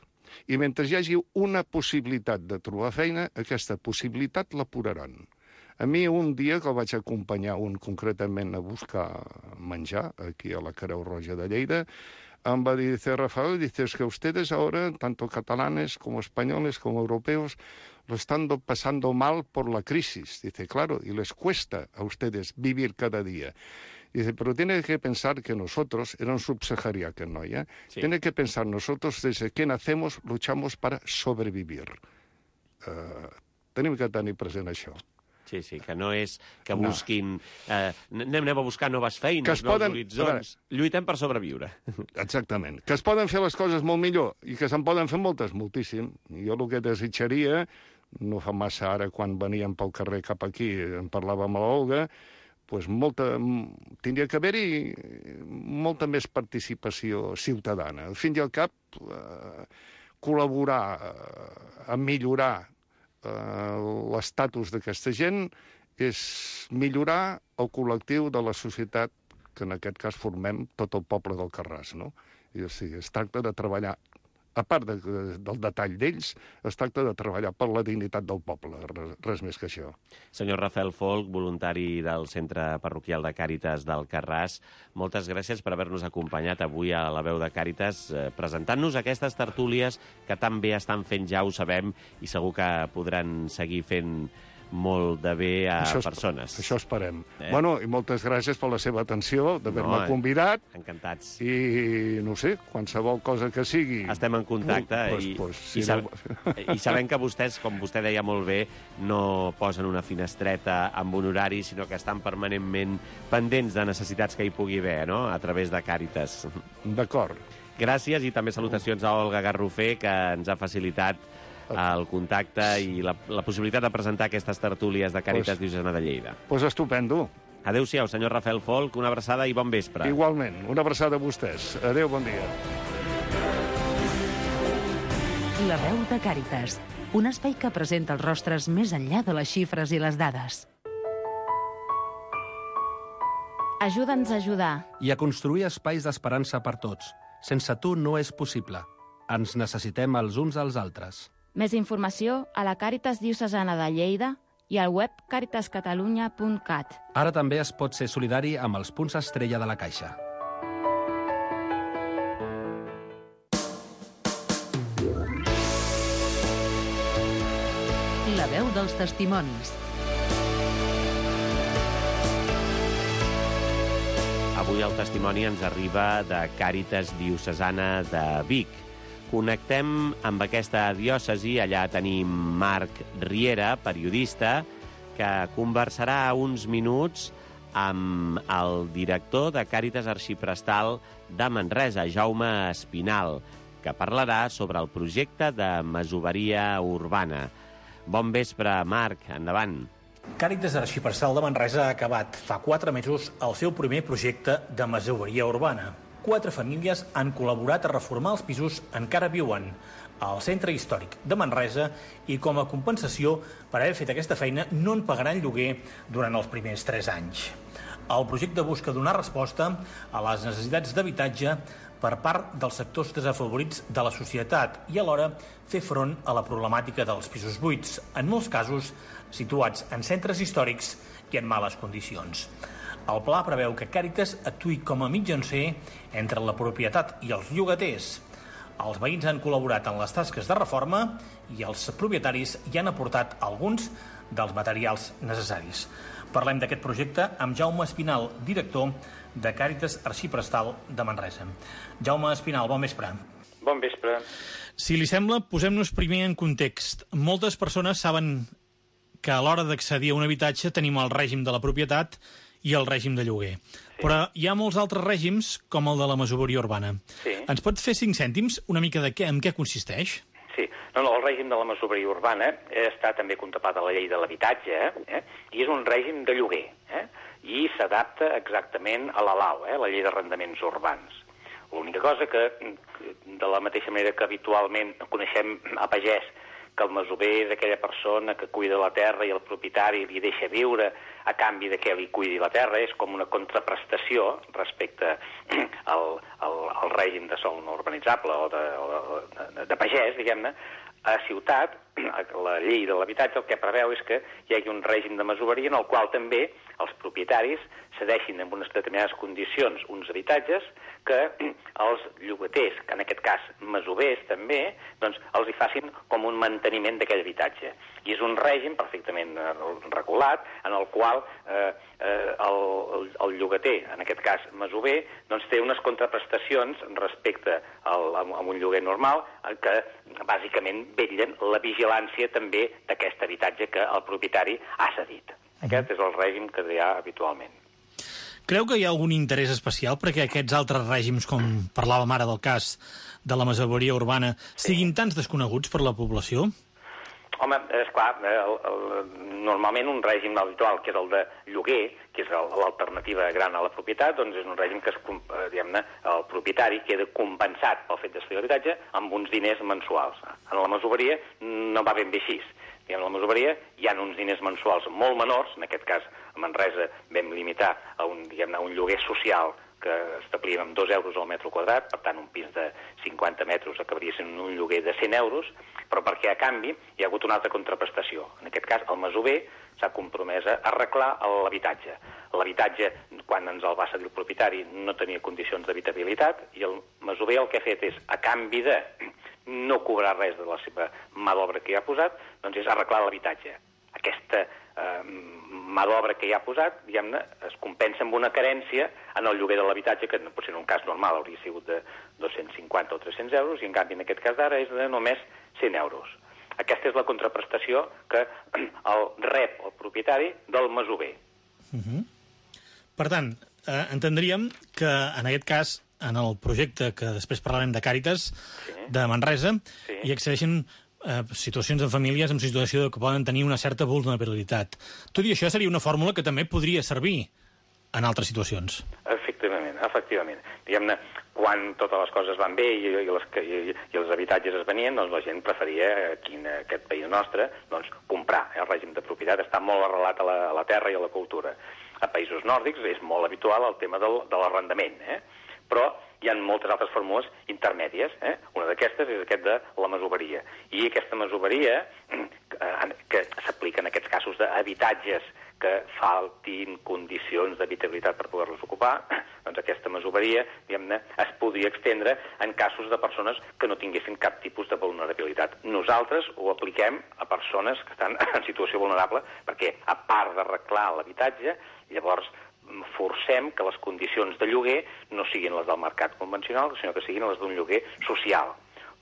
I mentre hi hagi una possibilitat de trobar feina, aquesta possibilitat l'apuraran. A mi un dia que el vaig acompanyar un concretament a buscar menjar, aquí a la Creu Roja de Lleida, em va dir, dice, Rafael, dice, es que ustedes ahora, tanto catalanes como españoles como europeos, lo están pasando mal por la crisis. Dice, claro, y les cuesta a ustedes vivir cada día. Dice, pero tiene que pensar que nosotros, era un subsaharià, no, ¿ya? Sí. Tiene que pensar nosotros, desde que nacemos, luchamos para sobrevivir. Uh, tenim que tenir present això. Sí, sí, que no és que busquin... No. Eh, anem a buscar noves feines, nous poden, horitzons. Lluitem per sobreviure. Exactament. Que es poden fer les coses molt millor i que se'n poden fer moltes, moltíssim. Jo el que desitjaria, no fa massa ara, quan veníem pel carrer cap aquí, en parlàvem amb l'Olga, pues molta, tindria que haver-hi molta més participació ciutadana. Al fin i al cap, eh, col·laborar eh, a millorar l'estatus d'aquesta gent és millorar el col·lectiu de la societat que en aquest cas formem tot el poble del Carràs, no? I o sigui, es tracta de treballar, a part de, del detall d'ells, es tracta de treballar per la dignitat del poble, res, res més que això. Senyor Rafael Folch, voluntari del Centre Parroquial de Càritas del Carràs, moltes gràcies per haver-nos acompanyat avui a la veu de Càritas, eh, presentant-nos aquestes tertúlies que tan bé estan fent, ja ho sabem, i segur que podran seguir fent molt de bé a això persones. Això esperem. Eh? Bueno, i moltes gràcies per la seva atenció, d'haver-me no, convidat. Encantats. I, no sé, qualsevol cosa que sigui... Estem en contacte uh, pues, i, pues, i, si sab no... i sabem que vostès, com vostè deia molt bé, no posen una finestreta amb un horari, sinó que estan permanentment pendents de necessitats que hi pugui haver, no?, a través de Càritas. D'acord. Gràcies i també salutacions a Olga Garrofer, que ens ha facilitat el contacte i la, la possibilitat de presentar aquestes tertúlies de Càritas pues, Diocesana de Lleida. Doncs pues estupendo. Adéu-siau, senyor Rafael Folch, una abraçada i bon vespre. Igualment, una abraçada a vostès. Adéu, bon dia. La veu de Càritas, un espai que presenta els rostres més enllà de les xifres i les dades. Ajuda'ns a ajudar. I a construir espais d'esperança per tots. Sense tu no és possible. Ens necessitem els uns als altres. Més informació a la Càritas Diocesana de Lleida i al web càritas catalunya punt cat. Ara també es pot ser solidari amb els punts estrella de la Caixa. La veu dels testimonis. Avui el testimoni ens arriba de Càritas Diocesana de Vic. Connectem amb aquesta diòcesi. Allà tenim Marc Riera, periodista, que conversarà uns minuts amb el director de Càritas Arxiprestal de Manresa, Jaume Espinal, que parlarà sobre el projecte de masoveria urbana. Bon vespre, Marc, endavant. Càritas Arxiprestal de Manresa ha acabat fa quatre mesos el seu primer projecte de masoveria urbana. Quatre famílies han col·laborat a reformar els pisos en què ara viuen al centre històric de Manresa i com a compensació per haver fet aquesta feina no en pagaran lloguer durant els primers tres anys. El projecte busca donar resposta a les necessitats d'habitatge per part dels sectors desafavorits de la societat i alhora fer front a la problemàtica dels pisos buits, en molts casos situats en centres històrics i en males condicions. El pla preveu que Càritas actuï com a mitjancer entre la propietat i els llogaters. Els veïns han col·laborat en les tasques de reforma i els propietaris hi han aportat alguns dels materials necessaris. Parlem d'aquest projecte amb Jaume Espinal, director de Càritas Arxiprestal de Manresa. Jaume Espinal, bon vespre. Bon vespre. Si li sembla, posem-nos primer en context. Moltes persones saben que a l'hora d'accedir a un habitatge tenim el règim de la propietat i el règim de lloguer. Sí. Però hi ha molts altres règims, com el de la masoveria urbana. Sí. Ens pot fer cinc cèntims una mica de què, en què consisteix? Sí. No, no, el règim de la masoveria urbana està també contemplat a la llei de l'habitatge, eh? I és un règim de lloguer, eh? I s'adapta exactament a la LAU, eh? La llei d'arrendaments urbans. L'única cosa que, de la mateixa manera que habitualment coneixem a pagès, que el masover és aquella persona que cuida la terra i el propietari li deixa viure a canvi de que li cuidi la terra, és com una contraprestació respecte al, al, al règim de sòl no urbanitzable o de, o de, de pagès, diguem-ne. A ciutat, la llei de l'habitatge el que preveu és que hi hagi un règim de masoveria en el qual també els propietaris cedeixin en unes determinades condicions uns habitatges que els llogaters, que en aquest cas masovers també, doncs els hi facin com un manteniment d'aquell habitatge. I és un règim perfectament regulat en el qual eh, eh, el, el, el llogater, en aquest cas masover, doncs té unes contraprestacions respecte al, a, a un lloguer normal que bàsicament vetllen la vigilància també d'aquest habitatge que el propietari ha cedit. Aquest és el règim que hi ha habitualment. Creu que hi ha algun interès especial perquè aquests altres règims, com parlàvem ara del cas de la masoveria urbana, siguin tants desconeguts per la població? Home, esclar, el, el, normalment un règim habitual, que és el de lloguer, que és l'alternativa gran a la propietat, doncs és un règim que es, diguem-ne, el propietari queda compensat pel fet de cedir l'habitatge amb uns diners mensuals. En la masoveria no va ben bé així. En la masoveria hi ha uns diners mensuals molt menors, en aquest cas A Manresa vam limitar a un, diguem-ne, un lloguer social que establíem amb dos euros al metre quadrat, per tant un pis de cinquanta metres acabaria sent un lloguer de cent euros, però perquè a canvi hi ha hagut una altra contraprestació. En aquest cas, el masover s'ha compromès a arreglar l'habitatge. L'habitatge, quan ens el va cedir el propietari, no tenia condicions d'habitabilitat i el masover el que ha fet és, a canvi de no cobrar res de la seva mà d'obra que hi ha posat, doncs és arreglar l'habitatge. Aquesta eh, mà d'obra que hi ha posat, diguem-ne, es compensa amb una carència en el lloguer de l'habitatge, que potser en un cas normal hauria sigut de dos-cents cinquanta o tres-cents euros, i en canvi en aquest cas d'ara és de només cent euros. Aquesta és la contraprestació que el rep el propietari del masover. Uh-huh. Per tant, eh, entendríem que en aquest cas, en el projecte que després parlarem de Càritas, sí, de Manresa, sí, hi accedeixen eh, situacions de famílies en situació que poden tenir una certa vulnerabilitat. Tot i això seria una fórmula que també podria servir en altres situacions. Efectivament, efectivament. Diguem-ne, quan totes les coses van bé i, i, les, i, i els habitatges es venien, doncs la gent preferia, aquí en aquest país nostre, doncs, comprar. El règim de propietat està molt arrelat a la, a la terra i a la cultura. A països nòrdics és molt habitual el tema del, de l'arrendament, eh? Però hi ha moltes altres fórmules intermèdies. Eh? Una d'aquestes és aquest de la masoveria. I aquesta masoveria, eh, que s'aplica en aquests casos d'habitatges que faltin condicions d'habitabilitat per poder-los ocupar, doncs aquesta masoveria, diguem-ne, es podria extendre en casos de persones que no tinguessin cap tipus de vulnerabilitat. Nosaltres ho apliquem a persones que estan en situació vulnerable perquè, a part d'arreglar l'habitatge, llavors forcem que les condicions de lloguer no siguin les del mercat convencional, sinó que siguin les d'un lloguer social.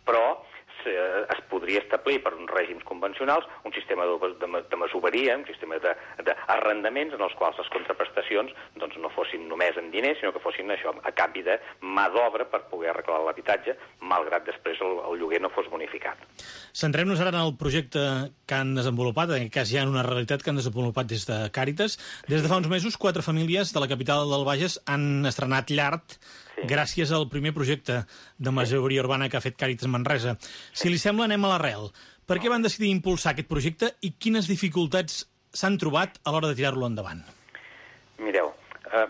Però es podria establir per uns règims convencionals un sistema de, de, de masoveria, un sistema d'arrendaments en els quals les contraprestacions doncs, no fossin només en diners, sinó que fossin això a canvi de mà d'obra per poder arreglar l'habitatge, malgrat després el, el lloguer no fos bonificat. Centrem-nos ara en el projecte que han desenvolupat, en aquest cas hi ha una realitat que han desenvolupat des de Càritas. Des de fa uns mesos, quatre famílies de la capital del Bages han estrenat llar, sí, gràcies al primer projecte de masoveria urbana que ha fet Càritas Manresa. Si li sembla, anem a l'arrel. Per què van decidir impulsar aquest projecte i quines dificultats s'han trobat a l'hora de tirar-lo endavant? Mireu, eh,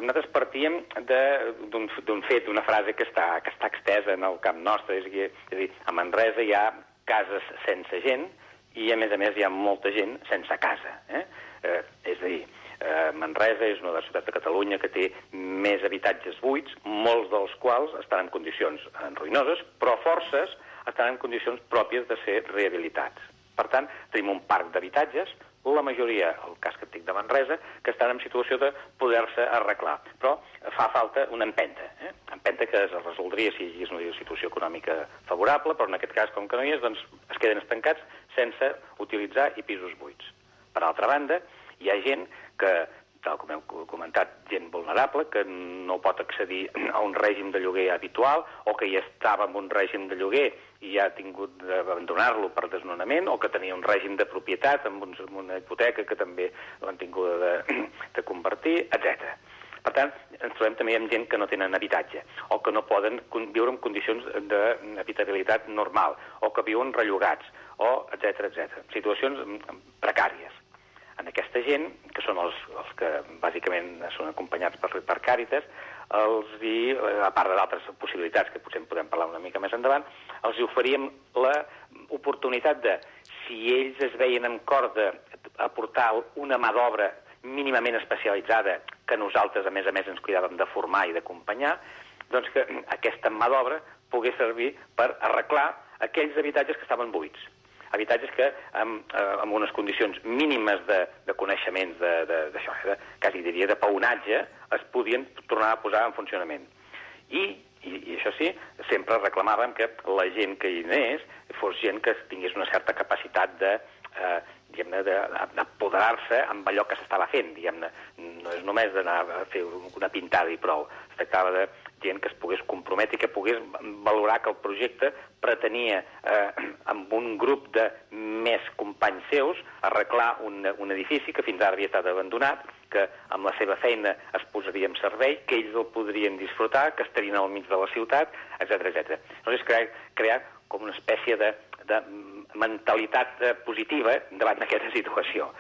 nosaltres partíem d'un fet, d'una frase que està, que està extesa en el camp nostre. És a dir, és a dir, a Manresa hi ha cases sense gent i, a més a més, hi ha molta gent sense casa. Eh? Eh, és a dir, eh, Manresa és una de les ciutats de Catalunya que té més habitatges buits, molts dels quals estan en condicions ruïnoses, però forces estan en condicions pròpies de ser rehabilitats. Per tant, tenim un parc d'habitatges, la majoria, el cas que et dic de Manresa, que estan en situació de poder-se arreglar. Però fa falta una empenta, eh? empenta que es resoldria si hi és una situació econòmica favorable, però en aquest cas, com que no hi és, doncs es queden estancats sense utilitzar i pisos buits. Per altra banda, hi ha gent que, tal com hem comentat, gent vulnerable, que no pot accedir a un règim de lloguer habitual, o que ja estava en un règim de lloguer i ha tingut d'abandonar-lo per desnonament, o que tenia un règim de propietat amb una hipoteca que també l'han tingut de, de convertir, etcètera. Per tant, ens trobem també amb gent que no tenen habitatge, o que no poden viure en condicions d'habitabilitat normal, o que viuen rellogats, o etcètera, etcètera. Situacions precàries. En aquesta gent, que són els, els que bàsicament són acompanyats per, per Càritas, els hi, a part d'altres possibilitats que potser en podem parlar una mica més endavant, els hi oferíem l'oportunitat de, si ells es veien amb cor d'aportar una mà d'obra mínimament especialitzada, que nosaltres, a més a més, ens cuidàvem de formar i d'acompanyar, doncs que aquesta mà d'obra pogués servir per arreglar aquells habitatges que estaven buits. Habitatges que, amb, amb unes condicions mínimes de, de coneixements, d'això, de, de, quasi diria de paonatge, es podien tornar a posar en funcionament. I, i, i això sí, sempre reclamàvem que la gent que hi anés fos gent que tingués una certa capacitat de, eh, diguem-ne, d'apoderar-se amb allò que s'estava fent, diguem-ne. No és només d'anar a fer una pintada i prou. Es tractava de gent que es pogués comprometre i que pogués valorar que el projecte pretenia, eh, amb un grup de més companys seus, arreglar un, un edifici que fins ara havia estat abandonat, que amb la seva feina es posaria en servei, que ells el podrien disfrutar, que estarien al mig de la ciutat, etcètera, etcètera. Llavors, crear, crear com una espècie de, de mentalitat positiva davant d'aquesta situació.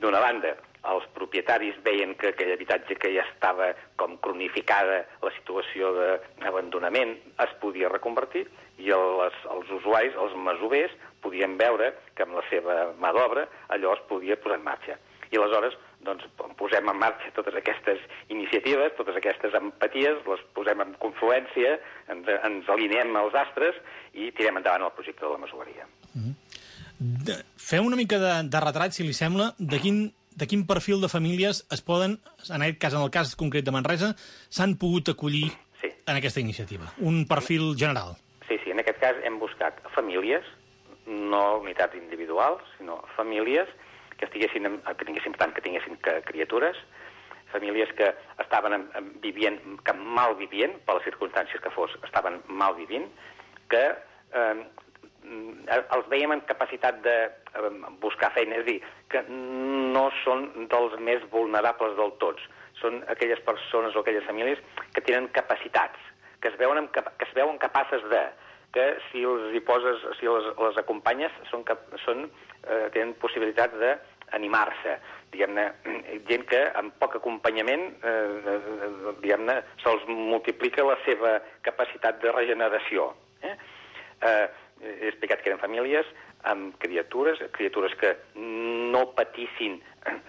D'una banda, els propietaris veien que aquell habitatge que ja estava com cronificada la situació d'abandonament es podia reconvertir i les, els usuaris, els masovers, podien veure que amb la seva mà d'obra allò es podia posar en marxa. I aleshores doncs, posem en marxa totes aquestes iniciatives, totes aquestes empaties, les posem en confluència, ens, ens alineem als astres i tirem endavant el projecte de la masoveria. Mm-hmm. Fem una mica de, de retrat, si li sembla, de quin, de quin perfil de famílies es poden, en aquest cas, en el cas concret de Manresa, s'han pogut acollir sí. en aquesta iniciativa? Un perfil general. Sí, sí, en aquest cas hem buscat famílies, no unitats individuals, sinó famílies que estiguessin, que tinguessin, tant que tinguessin criatures, famílies que estaven vivint, que mal vivint, per les circumstàncies que fos, estaven mal vivint, que eh, els veiem en capacitat de eh, buscar feina, és a dir, que no són dels més vulnerables del tots. Són aquelles persones o aquelles famílies que tenen capacitats, que es veuen, que es veuen capaces de, que si els hi poses, si les, les acompanyes, són, són, eh, tenen possibilitats d'animar-se. Diguem-ne, gent que amb poc acompanyament, eh, diguem-ne, se'ls multiplica la seva capacitat de regeneració. Eh? Eh, he explicat que eren famílies amb criatures, criatures que no patissin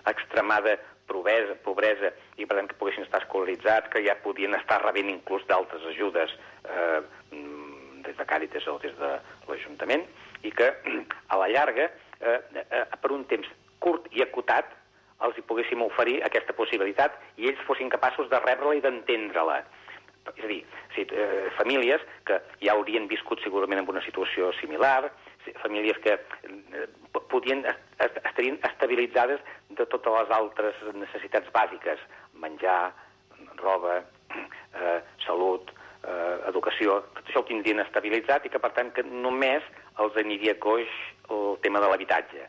extremada pobresa, pobresa i per tant que poguessin estar escolaritzats, que ja podien estar rebent inclús d'altres ajudes eh, des de Càritas o des de l'Ajuntament, i que a la llarga, eh, eh, per un temps curt i acotat, els hi poguéssim oferir aquesta possibilitat i ells fossin capaços de rebre-la i d'entendre-la. És a dir, sí, eh, famílies que ja haurien viscut segurament en una situació similar, famílies que eh, podien, est estarien estabilitzades de totes les altres necessitats bàsiques, menjar, roba, eh, salut, eh, educació, tot això ho tindrien estabilitzat i que, per tant, que només els aniria coix el tema de l'habitatge.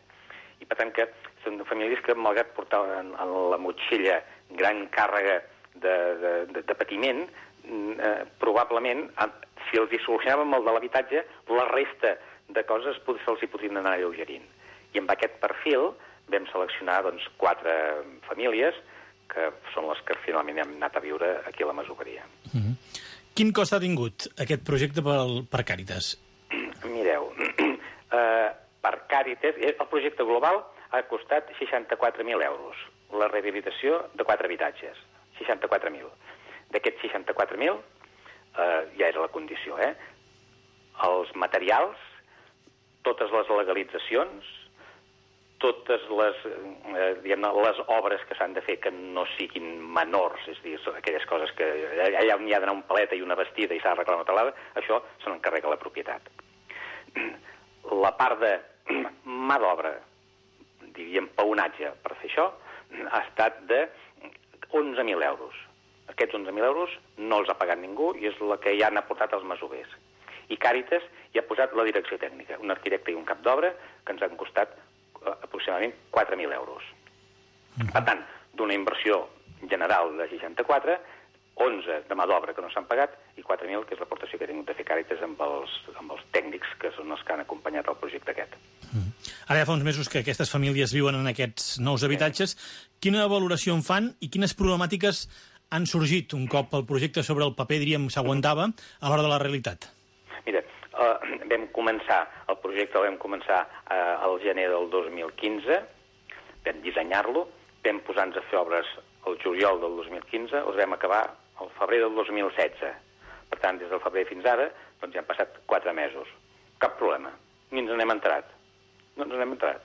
I, per tant, que són famílies que, malgrat portar en, en la motxilla gran càrrega de, de, de, de patiment, eh, probablement, si els hi solucionàvem el de l'habitatge, la resta de coses se'ls hi podrien anar alleugerint. I amb aquest perfil vam seleccionar doncs, quatre famílies que són les que finalment hem anat a viure aquí a la masoveria. Mm-hmm. Quin cost ha tingut aquest projecte per, per Càritas? Mireu, eh, per Càritas, el projecte global ha costat seixanta-quatre mil euros. La rehabilitació de quatre habitatges, seixanta-quatre mil. D'aquests seixanta-quatre mil, eh, ja era la condició, eh? Els materials, totes les legalitzacions, totes les, eh, diguem-ne, les obres que s'han de fer que no siguin menors, és a dir, aquelles coses que allà on hi ha d'anar un paleta i una vestida i s'ha d'arreglar una talada, això se n'encarrega la propietat. La part de mà d'obra, diríem paonatge per fer això, ha estat de onze mil euros. Aquests onze mil euros no els ha pagat ningú i és la que ja han aportat els masovers. I Càritas hi ha posat la direcció tècnica, un arquitecte i un cap d'obra que ens han costat aproximadament quatre mil euros. Per tant, d'una inversió general de seixanta-quatre, onze de mà d'obra que no s'han pagat i quatre mil, que és l'aportació que ha tingut de fer Càritas amb els, amb els tècnics que són els que han acompanyat el projecte aquest. Mm. Ara ja fa uns mesos que aquestes famílies viuen en aquests nous habitatges. Quina valoració en fan i quines problemàtiques han sorgit un cop el projecte sobre el paper, diríem, s'aguantava a l'hora de la realitat? Mira, Uh, vam començar, el projecte el vam començar uh, al gener del dos mil quinze, vam dissenyar-lo, vam posar-nos a fer obres el juliol del dos mil quinze, els vam acabar al febrer del dos mil setze. Per tant, des del febrer fins ara, doncs ja han passat quatre mesos. Cap problema, ni ens n'hem entrat. No ens n'hem entrat.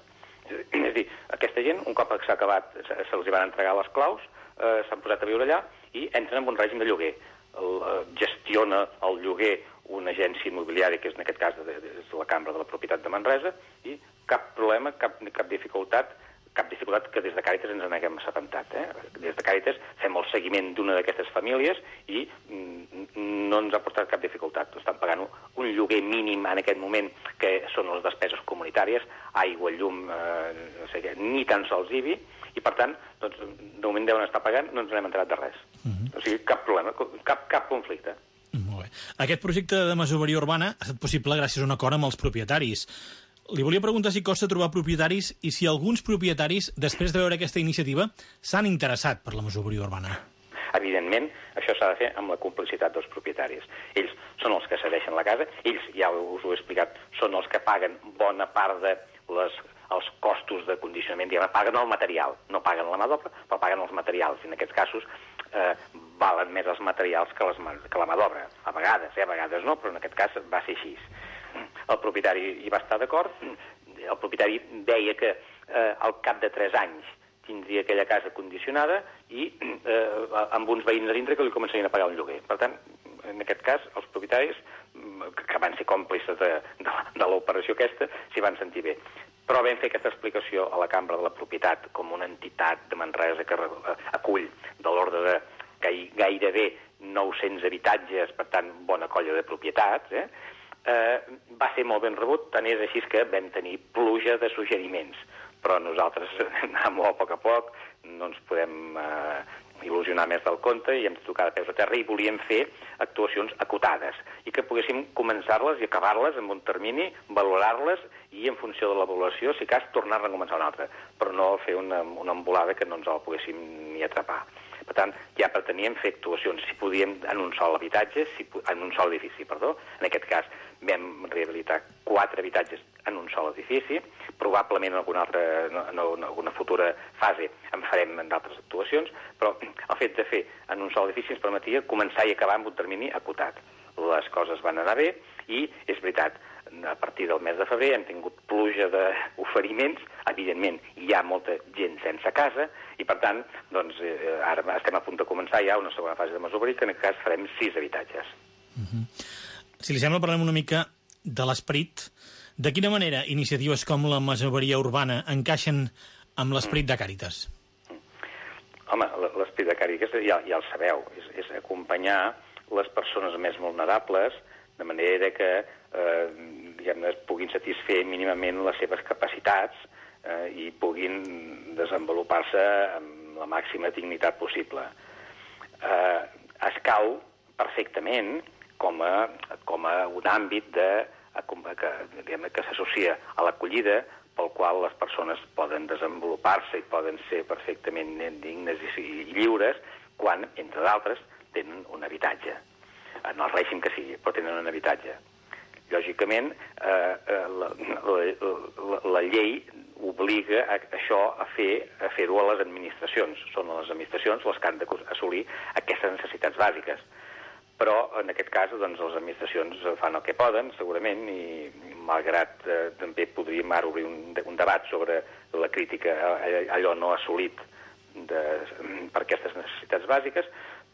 És a dir, aquesta gent, un cop s'ha acabat, se'ls van entregar les claus, uh, s'han posat a viure allà i entren en un règim de lloguer. El, uh, gestiona el lloguer una agència immobiliària, que és en aquest cas de, de, de la Cambra de la Propietat de Manresa, i cap problema, cap, cap dificultat, cap dificultat que des de Càritas ens n'haguem assabentat. Eh? Des de Càritas fem el seguiment d'una d'aquestes famílies i mm, no ens ha portat cap dificultat. Estan pagant un lloguer mínim en aquest moment, que són les despeses comunitàries, aigua, llum, eh, no sé què, ni tan sols I B I, i per tant, doncs, de moment deuen estar pagant, no ens n'hem enterat de res. Uh-huh. O sigui, cap problema, cap, cap conflicte. Molt bé. Aquest projecte de masoveria urbana ha estat possible gràcies a un acord amb els propietaris. Li volia preguntar si costa trobar propietaris i si alguns propietaris, després de veure aquesta iniciativa, s'han interessat per la masoveria urbana. Evidentment, això s'ha de fer amb la complicitat dels propietaris. Ells són els que cedeixen la casa, ells, ja us ho he explicat, són els que paguen bona part de les, els costos de condicionament, diguem, paguen el material, no paguen la mà d'obra, però paguen els materials. I en aquests casos eh, valen més els materials que, les, que la mà d'obra. A vegades, eh, a vegades no, però en aquest cas va ser així. El propietari hi va estar d'acord, el propietari deia que eh, al cap de tres anys tindria aquella casa condicionada i eh, amb uns veïns a dintre que li començarien a pagar un lloguer. Per tant, en aquest cas, els propietaris, que van ser còmplices de, de, de l'operació aquesta, s'hi van sentir bé. Però vam fer aquesta explicació a la Cambra de la Propietat com una entitat de Manresa que acull de l'ordre de gairebé nou-cents habitatges, per tant, bona colla de propietats, eh? Eh, va ser molt ben rebut, tant és així que vam tenir pluja de suggeriments. Però nosaltres anem molt a poc a poc, no ens podem eh, il·lusionar més del compte i hem de tocar de peus a terra i volíem fer actuacions acotades i que poguéssim començar-les i acabar-les en un termini, valorar-les i en funció de l'avaluació, si cas, tornar-ne a començar una altra, però no fer una, una embolada que no ens la poguéssim ni atrapar. Per tant, ja preteníem fer actuacions, si podíem, en un sol habitatge, si, en un sol edifici, perdó. En aquest cas vam rehabilitar quatre habitatges en un sol edifici, probablement en alguna altra, en alguna futura fase en farem en d'altres actuacions, però el fet de fer en un sol edifici ens permetia començar i acabar amb un termini acotat. Les coses van anar bé i, és veritat, a partir del mes de febrer hem tingut pluja d'oferiments, evidentment hi ha molta gent sense casa i per tant doncs, eh, ara estem a punt de començar ja una segona fase de masoveria que en aquest cas farem sis habitatges. Uh-huh. Si li sembla, parlem una mica de l'esperit. De quina manera iniciatives com la masoveria urbana encaixen amb l'esperit de Càritas? Home, l'esperit de Càritas ja, ja el sabeu, és, és acompanyar les persones més vulnerables de manera que eh, diguem-ne, puguin satisfer mínimament les seves capacitats eh, i puguin desenvolupar-se amb la màxima dignitat possible. Eh, escau perfectament com a, com a un àmbit de, que, diguem-ne, que s'associa a l'acollida pel qual les persones poden desenvolupar-se i poden ser perfectament dignes i, i lliures quan, entre d'altres, tenen un habitatge. En el règim que sigui, però tenen un habitatge. Lògicament, eh, la, la, la, la llei obliga a això a fer a fer-ho a les administracions. Són les administracions les que han d'assolir aquestes necessitats bàsiques. Però, en aquest cas, doncs, les administracions fan el que poden, segurament, i malgrat eh, també podríem ara obrir un, un debat sobre la crítica a allò no assolit de, per aquestes necessitats bàsiques,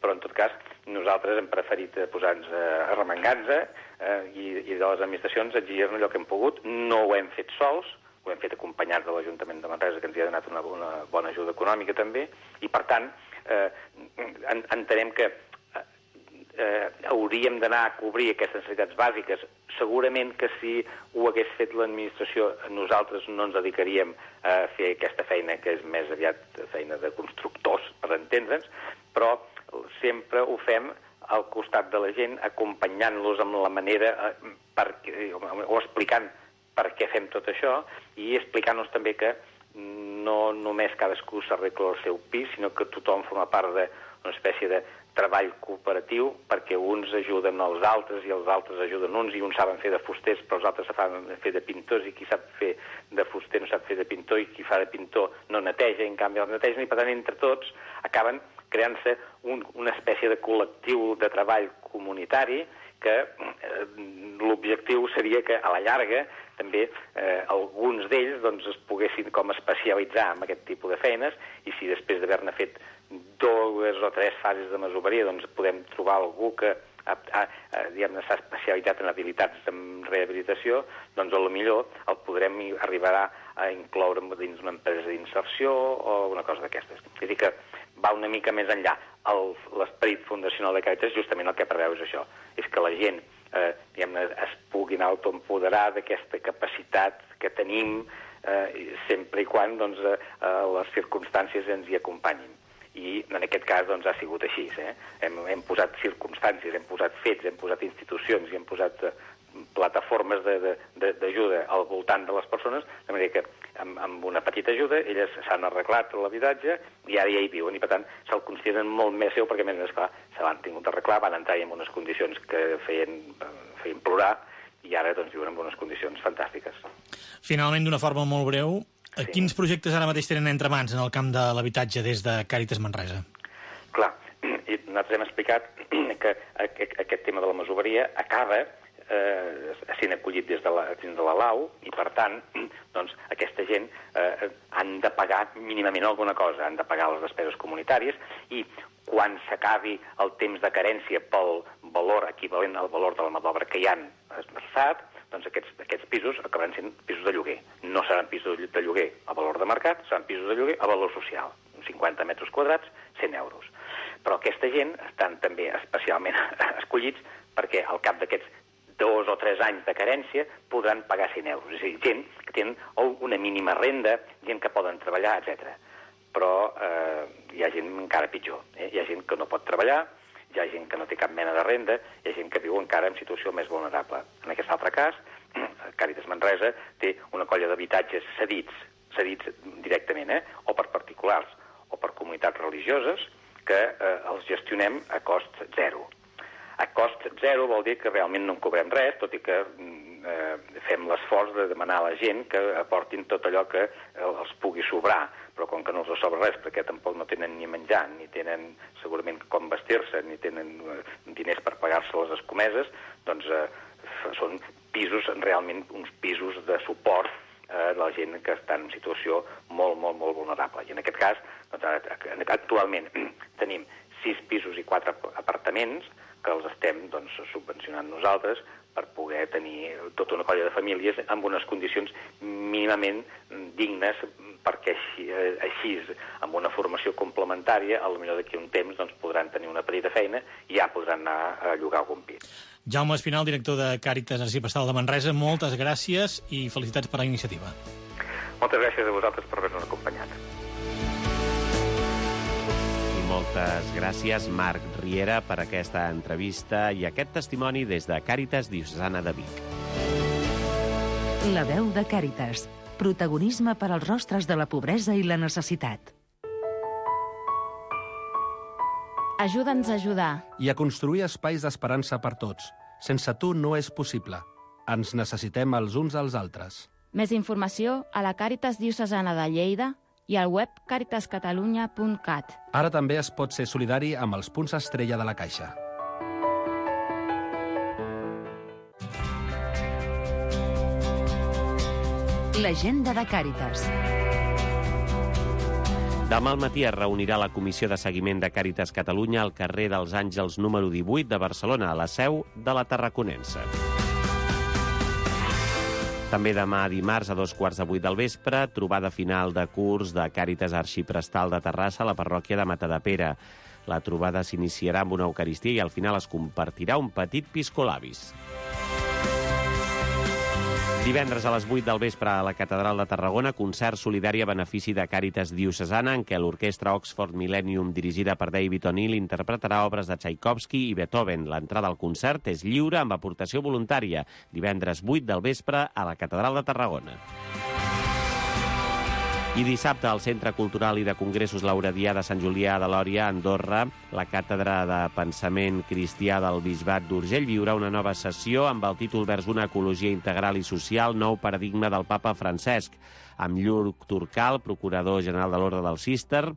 però en tot cas nosaltres hem preferit posar-nos a remengar-nos eh, i, i de les administracions exigir-ne allò que hem pogut. No ho hem fet sols, ho hem fet acompanyats de l'Ajuntament de Manresa, que ens hi ha donat una, una bona ajuda econòmica també, i per tant eh, en, entenem que eh, hauríem d'anar a cobrir aquestes necessitats bàsiques. Segurament que si ho hagués fet l'administració, nosaltres no ens dedicaríem a fer aquesta feina, que és més aviat feina de constructors, per entendre'ns, però sempre ho fem al costat de la gent, acompanyant-los amb la manera, eh, per, o explicant per què fem tot això, i explicant-nos també que no només cadascú s'arregla el seu pis, sinó que tothom forma part d'una espècie de treball cooperatiu, perquè uns ajuden els altres i els altres ajuden uns, i uns saben fer de fusters, però els altres saben fer de pintors, i qui sap fer de fuster no sap fer de pintor, i qui fa de pintor no neteja, i en canvi els netegen, i per tant entre tots acaben creant-se un, una espècie de col·lectiu de treball comunitari que eh, l'objectiu seria que a la llarga també eh, alguns d'ells doncs, es poguessin com especialitzar en aquest tipus de feines, i si després d'haver-ne fet dues o tres fases de masoveria doncs podem trobar algú que ha, ha, diguem-ne, s'ha especialitzat en habilitats en rehabilitació, doncs potser el podrem arribar a incloure dins una empresa d'inserció o una cosa d'aquestes. És a dir que va una mica més enllà. L'esperit fundacional de Càritas justament el que preveu és això, és que la gent eh, diguem-ne, es puguin autoempoderar d'aquesta capacitat que tenim eh, sempre i quan doncs, eh, les circumstàncies ens hi acompanyin. I en aquest cas doncs, ha sigut així. Eh? Hem, hem posat circumstàncies, hem posat fets, hem posat institucions i hem posat eh, plataformes d'ajuda al voltant de les persones, de manera que amb, amb una petita ajuda elles s'han arreglat l'habitatge i ara ja hi viuen, i per tant se'l consideren molt més seu, perquè a més a més, clar, se l'han tingut d'arreglar, van entrar en unes condicions que feien, feien plorar, i ara doncs viuen en unes condicions fantàstiques. Finalment, d'una forma molt breu, sí. Quins projectes ara mateix tenen entre mans en el camp de l'habitatge des de Càritas Manresa? Clar, i nosaltres hem explicat que aquest tema de la masoveria acaba eh, sent acollit des de la, dins de la Lau, i per tant doncs, aquesta gent eh, han de pagar mínimament alguna cosa, han de pagar les despeses comunitàries, i quan s'acabi el temps de carència pel valor equivalent al valor de la mà d'obra que hi han esmerçat, doncs aquests, aquests pisos acabaran sent pisos de lloguer. No seran pisos de lloguer a valor de mercat, seran pisos de lloguer a valor social. cinquanta metres quadrats, cent euros. Però aquesta gent estan també especialment escollits perquè al cap d'aquests dos o tres anys de carència podran pagar cent euros. És a dir, gent que tenen una mínima renda, gent que poden treballar, etcètera. Però eh, hi ha gent encara pitjor. Eh? Hi ha gent que no pot treballar, hi ha gent que no té cap mena de renda, hi ha gent que viu encara en situació més vulnerable. En aquest altre cas, Càritas Manresa té una colla d'habitatges cedits, cedits directament, eh? o per particulars, o per comunitats religioses, que eh, els gestionem a cost zero. A cost zero vol dir que realment no en cobrem res, tot i que eh, fem l'esforç de demanar a la gent que aportin tot allò que els pugui sobrar, però com que no els sobra res, perquè tampoc no tenen ni menjar, ni tenen segurament com vestir-se, ni tenen diners per pagar-se les escomeses, doncs eh, són pisos, realment uns pisos de suport a la gent que està en situació molt, molt, molt vulnerable. I en aquest cas, doncs, actualment tenim sis pisos i quatre apartaments que els estem doncs, subvencionant nosaltres per poder tenir tota una colla de famílies amb unes condicions mínimament dignes, perquè així, així amb una formació complementària, potser d'aquí un temps doncs, podran tenir una petita feina i ja podran anar a llogar algun pis. Jaume Espinal, director de Càritas Arxiprestal de Manresa, moltes gràcies i felicitats per la iniciativa. Moltes gràcies a vosaltres per haver-nos acompanyat. Moltes gràcies, Marc Riera, per aquesta entrevista i aquest testimoni des de Càritas Diocesana de Vic. La veu de Càritas. Protagonisme per als rostres de la pobresa i la necessitat. Ajuda'ns a ajudar. I a construir espais d'esperança per tots. Sense tu no és possible. Ens necessitem els uns als altres. Més informació a la Càritas Diocesana de Lleida i al web caritas catalunya punt cat. Ara també es pot ser solidari amb els punts estrella de la Caixa. L'agenda de Càritas. Demà al matí es reunirà la Comissió de Seguiment de Càritas Catalunya al carrer dels Àngels número divuit de Barcelona, a la seu de la Tarraconense. També demà dimarts a dos quarts de vuit del vespre, trobada final de curs de Càritas Arxiprestal de Terrassa a la parròquia de Matadepera. La trobada s'iniciarà amb una eucaristia i al final es compartirà un petit piscolabis. Divendres a les vuit del vespre a la Catedral de Tarragona, concert solidari a benefici de Càritas Diocesana, en què l'orquestra Oxford Millennium, dirigida per David O'Neill, interpretarà obres de Tchaikovsky i Beethoven. L'entrada al concert és lliure amb aportació voluntària. Divendres vuit del vespre a la Catedral de Tarragona. I dissabte al Centre Cultural i de Congressos Lauredià de Sant Julià de Lòria, a Andorra, la Càtedra de Pensament Cristià del Bisbat d'Urgell viurà una nova sessió amb el títol Vers una ecologia integral i social, nou paradigma del papa Francesc, amb Lluc Turcal, procurador general de l'Orde del Cister,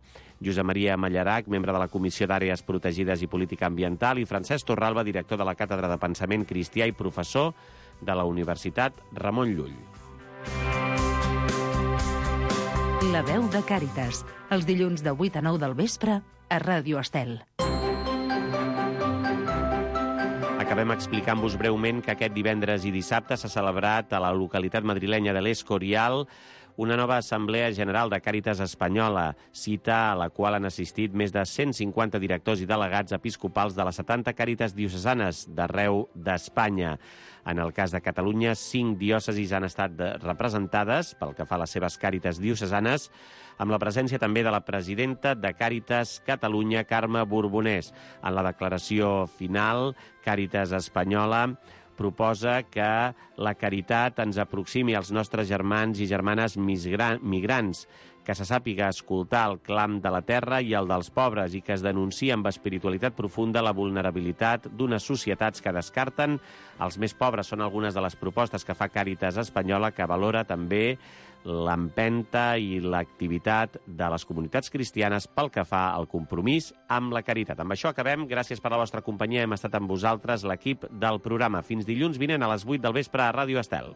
Josep Maria Mallarac, membre de la Comissió d'Àrees Protegides i Política Ambiental, i Francesc Torralba, director de la Càtedra de Pensament Cristià i professor de la Universitat Ramon Llull. La veu de Càritas, els dilluns de vuit a nou del vespre a Ràdio Estel. Acabem explicant-vos breument que aquest divendres i dissabte s'ha celebrat a la localitat madrilenya de l'Escorial una nova Assemblea General de Càritas Espanyola, cita a la qual han assistit més de cent cinquanta directors i delegats episcopals de les setanta Càritas diocesanes d'arreu d'Espanya. En el cas de Catalunya, cinc diòcesis han estat representades, pel que fa a les seves Càritas diocesanes, amb la presència també de la presidenta de Càritas Catalunya, Carme Borbonès. En la declaració final, Càritas Espanyola proposa que la caritat ens aproximi als nostres germans i germanes migrants, que se sàpiga escoltar el clam de la terra i el dels pobres i que es denuncia amb espiritualitat profunda la vulnerabilitat d'unes societats que descarten els més pobres. Són algunes de les propostes que fa Càritas Espanyola, que valora també l'empenta i l'activitat de les comunitats cristianes pel que fa al compromís amb la caritat. Amb això acabem. Gràcies per la vostra companyia. Hem estat amb vosaltres, l'equip del programa. Fins dilluns vinent a les vuit del vespre a Ràdio Estel.